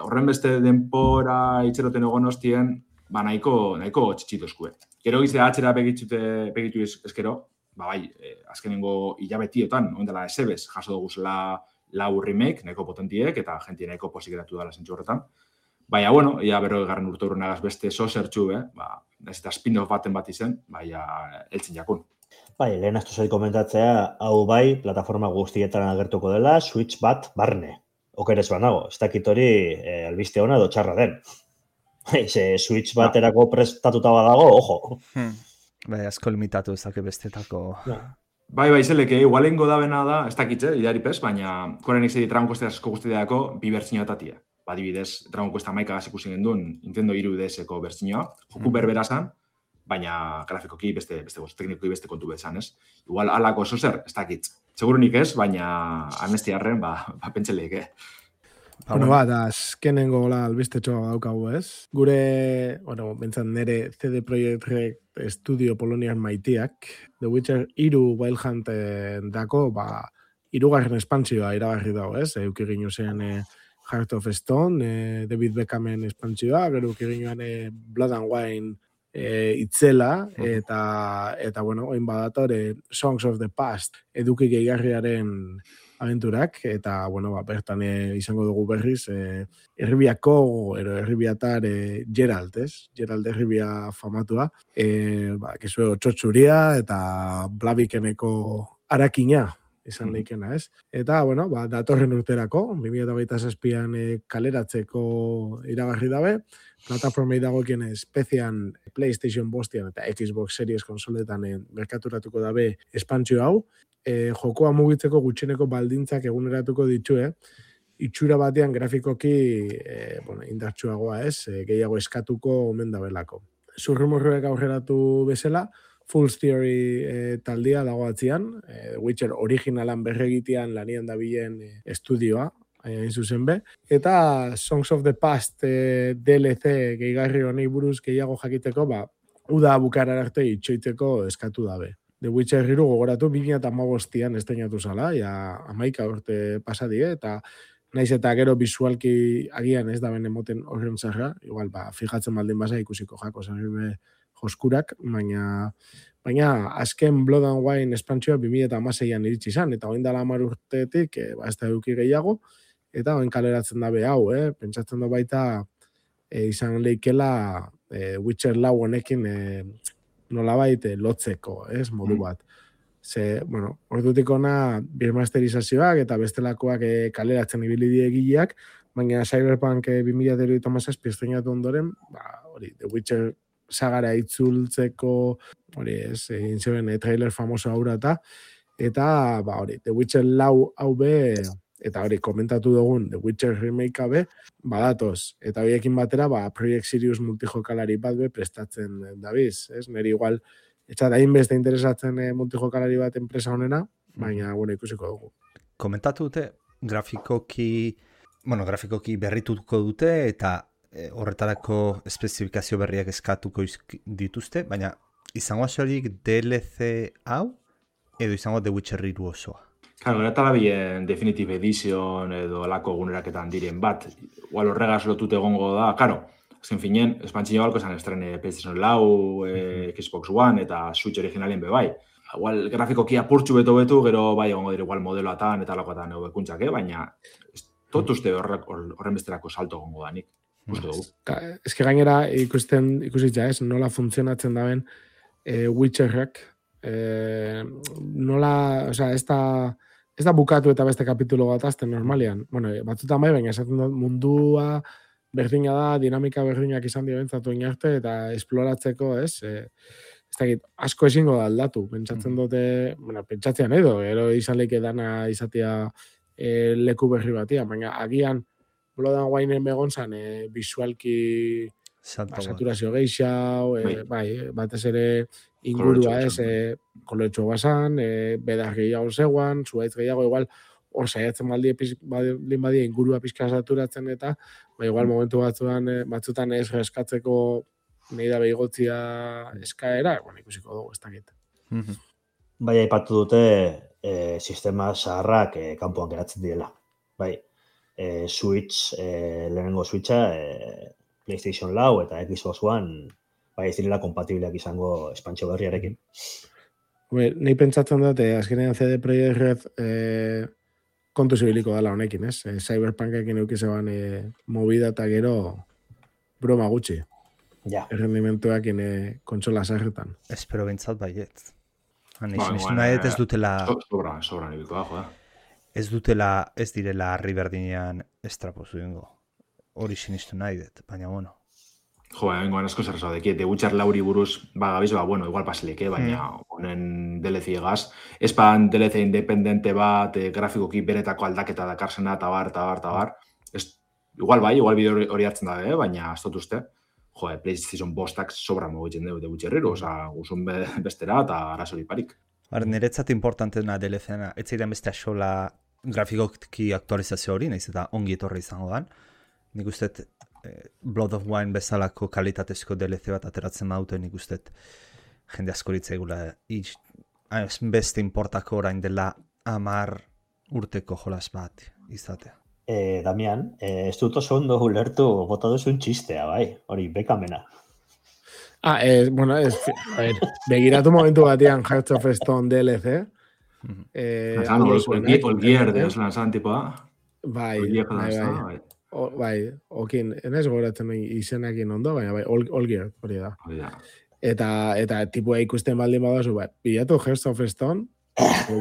Horren beste denpora itxeroten egon hostien, nahiko txitsitozkue. Gero gizte atxera begitu ezkero, azkenengo hilabetietan, ondela esebez, jaso duguzela 4 remake, nahiko potentiek, eta jentia nahiko posik eratu dala zentsu horretan. Baina, bueno, ia 40 urte urrenagaz beste zertxu, ez eta spin-off baten bat izen, eltzen jakun.
Bai, lehen astu zait komentatzea, hau bai, plataforma guztietan agertuko dela, Switch bat barne. Okerez banago, ez dakit hori albiste ona edo txarra den. Switch baterako prestatuta badago, ojo.
Bai, asko limitatu ezake bestetako.
Bai, zeleke, igualengo da bena da, ez dakitze, idaripez, baina korenik zedi Dragon Quest asko guztideako bi bertziniotatia. Adibidez, Dragon Quest 11 ikusi genduen Nintendo 3DS-eko bertzinioa, joku berbera zan, baina grafikoki teknikoki beste kontu bezan, ez? Igual alako zer, ez dakit. Segurunik ez, baina amnestiarren, pentseleik,
Bueno, azkenengo albistetxoa daukagu, ez? Gure, bentzat nire CD Projekt Red Studio Polonian maitiak, The Witcher 3 Wild Hunt dako, 3. espantsioa iragarri dago, ez? Eukegin zen Heart of Stone, David Beckhamen espantsioa, gero eukegin Blood and Wine itzela, eta bueno, oin badatore Songs of the Past eduki gehigarriaren aventurak, eta, bueno, bertan izango dugu berriz, Erribiako, Erribiatar Geralt, ez? Geralt Erribia famatua, kizu txotxuria eta Blavikeneko arakina izan leikena, ez? Eta, bueno, datorren urterako, 2027an kaleratzeko iragarri dabe, plataformei dagoekien espezian PlayStation bostian eta Xbox Series konsoletan merkaturatuko dabe espantzio hau, jokoa mugitzeko gutxeneko baldintzak eguneratuko ditue, itxura batean grafikoki indartsuagoa, ez? Gehiago eskatuko omen dabelako. Zurrumurruek aurreratu bezala, Fool's Theory taldia dago atzian, Witcher originalan berregitean lanian dabilen estudioa, hain zuzen be, eta Songs of the Past DLC gehigarri honei buruz gehiago jakiteko, uda bukara arte itxoiteko eskatu dabe. The Witcher 3 gogoratu 2015an estrenatu zala, 11 urte pasadie, eta naiz eta gero bisualki agian ez da bene moten horren zarra, igual, fijatzen baldin baza ikusiko jako zen joskurak, baina azken Blood and Wine espantzioa 2016an iritsi izan, eta oin dala 10 urtetik, ez da eduki gehiago, eta oin kaleratzen dabe hau, pentsatzen da baita izan leikela Witcher 4 honekin nolabait lotzeko, modu bat. Bueno, ordutik ona birmasterizazioak eta bestelakoak kaleratzen ibili diegileak, baina Cyberpunk 2037 estrenatu ondoren, The Witcher sagara itzultzeko, egin zeben trailer famoso aurra eta The Witcher 4 hau be, eta komentatu dugun The Witcher remake be, badatoz. Eta horiekin batera, Project Sirius multijokalari bat be prestatzen dabiz. Neri igual, etxat hainbeste interesatzen multijokalari bat enpresa honena, baina ikusiko dugu.
Komentatu dute, grafikoki berrituko dute, eta horretarako espezifikazio berriak eskatuko dituzte, baina izango asorik DLC hau, edo izango The Witcher 3 osoa?
Claro, gara talabien Definitive Edition edo alako eguneraketan diren bat, igual horregaz lotute egongo da, claro, azken finen, espantzio balko esan estrene PlayStation 4, Xbox One eta Switch originalien bebai. Igual grafikoki apurtxu beto, gero bai egongo dire igual modeloatan eta alakoatan egoekuntzak, baina tot uste horren besterako salto egongo da nik.
Ez que gainera ikusitza nola funtzionatzen daben Witcherrak, nola, ez da bukatu eta beste kapitulo bat azten normalian. Bueno, batzutan bai, baina esaten dut mundua berdina da, dinamika berdinak izan dira bentzatu inarte, eta esploratzeko, ez dakit, asko ezingo da aldatu. Pentsatzen dute, pentsatzean edo, ero izan leike dana izatea leku berri batia, baina agian Blood and Wineen begon zan, bisualki saturazio geixau, batez ere ingurua koloretxo basan, bedar gehiago zegoan, zuaitz gehiago, igual, hor saiatzen baldin badia ingurua pixka saturatzen eta, igual momentu batzutan ez eskatzeko nahi da behigotzia eskaera, ikusiko dugu, ez dakit.
Bai, aipatu dute sistema zaharrak kanpoan geratzen direla. Bai, Switch, lehenengo Switcha, PlayStation 4 eta Xbox One, bai ez direla kompatibleak izango espantzio berriarekin.
Nei pentsatzen dut, azkenean CD Projekt Red kontu zibiliko dela honekin, ez? Cyberpunkekin eukizeban movida eta gero broma gutxi.
Ja.
Errendimentuak kontsola sarretan.
Espero bintzat baiet. Ez dutela...
Sobra nibiko da, joda.
Ez direla harri berdinean estrapozu ingo. Hori sinistu nahi dut, baina bueno.
Jo, bengoan asko zer zaudeki, The Witcher lauri buruz, gabiz, bueno, igual pasileke, baina honen DLC egaz. Espan DLC independente bat, grafikoki beretako aldaketa dakarsena, tabar. Igual bideo hori hartzen dabe, baina ez dut uste. Jo, PlayStation bostak sobra mogitzen dugu The Witcherriru, oza, guzun bestera eta arazori parik.
Niretzat importantena DLC-na, ez ziren beste axola grafikoki aktualizazio hori, nahiz eta ongi etorri izango dan. Nik uste Blood of Wine bezalako kalitatezko DLC bat ateratzen maute, nik uste jende askoritza egula beste importako orain dela 10 urteko jolas bat izatea.
Damian, ez dut oso ondo ulertu bota duzun txistea, bai, hori bekamena.
Bueno, begiratu momentu batian Hearts of Stone DLC.
Olgier, lanzan tipoa.
Bai, okin, enez goratzen izenakin ondo, baina bai, Olgier, hori da. Eta tipua ikusten baldin badazu, bilatu Hearts of Stone,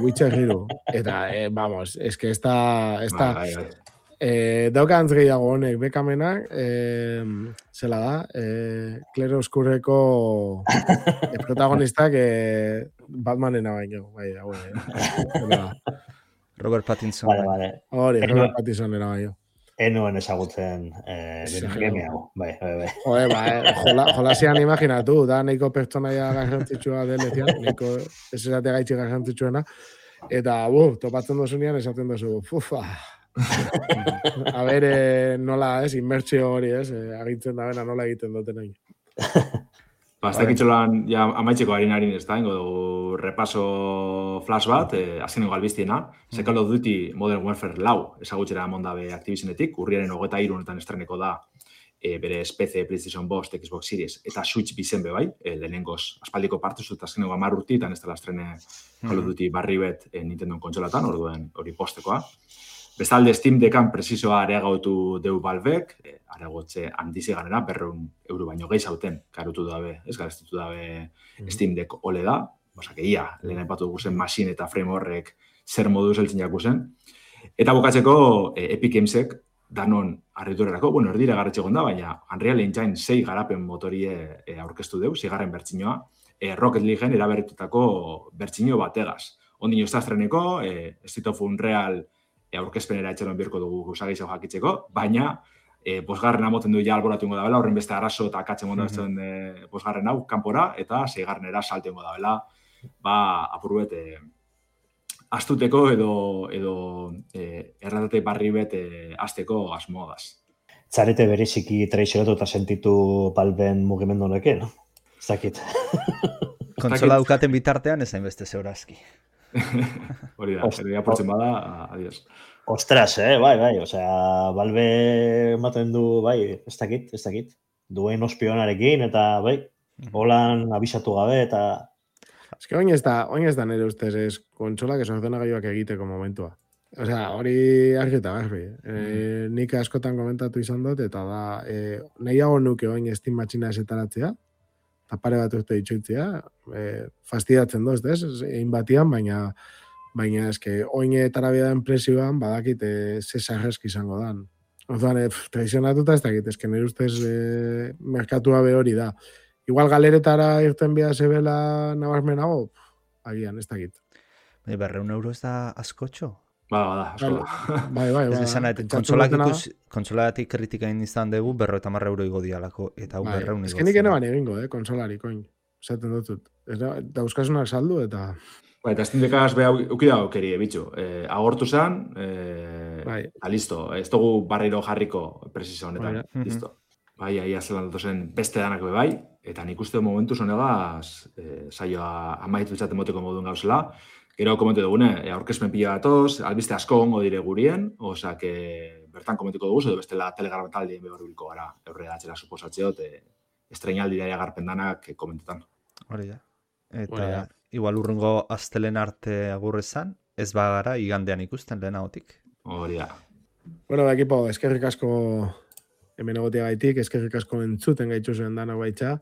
Witcherriru. Eta, vamos, es que esta daukantz gehiago honek bekamenak, zela da, Claire Oscurreko protagonistak Batmanena baino, bai,
Robert Pattinson.
Vale.
Hori, Robert Pattinsonera baino.
Enuen ezagutzen game hau, bai.
Jolasian imaginatu, da neiko pertsonaia garrantzitsua delezian, neiko ez esate gaitxi garrantzitsuena, eta topatzen dozunean esaten dozu, a ber, nola, inmertsio hori, agintzen da bena nola egiten duten egin.
Aztakitxolan, amaitzeko harin ez da, ingo dugu repaso flash bat, azkenengo albiztiena, Call of Duty Modern Warfare 4 ezagutxera mondabe Activisionetik, urriaren 23 honetan estreneko da bere PC, PlayStation 5, Xbox Series eta Switch bizenbe bai, lehenengoz aspaldiko partuz dut azkenengo 10 urti, eta ez dela estrene Call of Duty barri bet Nintendo kontsolatan, orduen hori postekoa. Bestalde, Steam Deckan presizoa areagautu deu Valvek, areagotze handizi ganera, €100 baino gehi zauten, karutu dabe, ez gareztutu dabe Steam Deck ole da, basak ia, lehen aipatu dugu zen machine eta frame horrek zer modu zeltzen jaku zen. Eta bukatzeko Epic Gamesek danon arriturerako, erdire garretxegon da, baina Unreal Engine 6 garapen motorie aurkeztu deu, 6. bertsinoa, Rocket Leagueen eraberritutako bertsino bategaz. Ondino ez da estreneko, Street of Unreal aurkezpenera etxeron birko dugu usagizau jakitzeko, baina posgarren amoten du ja alboratu ingo dabela, horren beste arazo eta akatzen gondatzen posgarren hau kanpora, eta 6. salto ingo dabela, apurbet astuteko edo erratate barri bet azteko asmoagaz.
Zarete bereziki traicionatu eta sentitu Valven mugimendu honekin, no? Zakit.
Kontsola dukaten bitartean ezain beste zeurazki.
Hori da, pero apurtzen bada, adiós.
Ostras, bai, osea, Valve ematen du, bai, ez dakit, duen ospionarekin, eta bai, holan abisatu gabe, eta...
Ez que oin ez da nire ustez, ez kontsolak ordenagailuak egiteko momentua. Osea, hori argita garbi. Nik askotan komentatu izan dut, eta da, nahiago nuke oin Steam matxina esetaratzea, eta pare bat urte ditxoitzea, fastidatzen doz, egin batian, baina eske, oin etarabia den presioan, badakit zesarrezki izango dan. Orduan, traizionatuta ez dakit, eske nire ustez merkatua be hori da. Igual galeretara irten bia zebela nabarmenago, agian, ez dakit.
€100 ez da askotxo?
Bada, asko da.
Bai.
Kontsolatik kritika izan dugu, €50 igo dialako, eta hau 200 igo.
Ez que nik eneban egingo, konsolarik, oin. Zaten dutut. Dauzkasunak saldu, eta...
Eta Steam Deckaz beha ukida aukeri, bitxu. Agortu zen, listo. Ez dugu barriro jarriko presizio honetan. Listo. Bai, aia zelan datozen beste danak bai, eta nik uste momentu zonegaz saioa amaitu izaten moteko moduen gauzela. Gero komentu dugune, aurkezpen pila datoz, albiste asko ongo dire gurien, osak bertan komentuko dugu, edo bestela Telegram taldien behar biliko gara, eurrera atxera suposatzeo, estreinaldi daia garpen danak komentetan.
Hori da. Eta igual urrungo astelen arte agurrezan, ez bagara igandean ikusten lehenagotik.
Hori da.
Bueno, ekipo, eskerrik asko hemen egotea gaitik, eskerrik asko entzuten gaitzu zen dana baitza,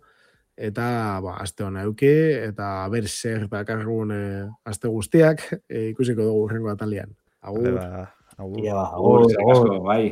eta aste hona euki, eta ber zer dakargun aste guztiak ikusiko dugu urrengo atalian. Agur.
Agur.
Ia,
Agur, eskerrik asko, bai.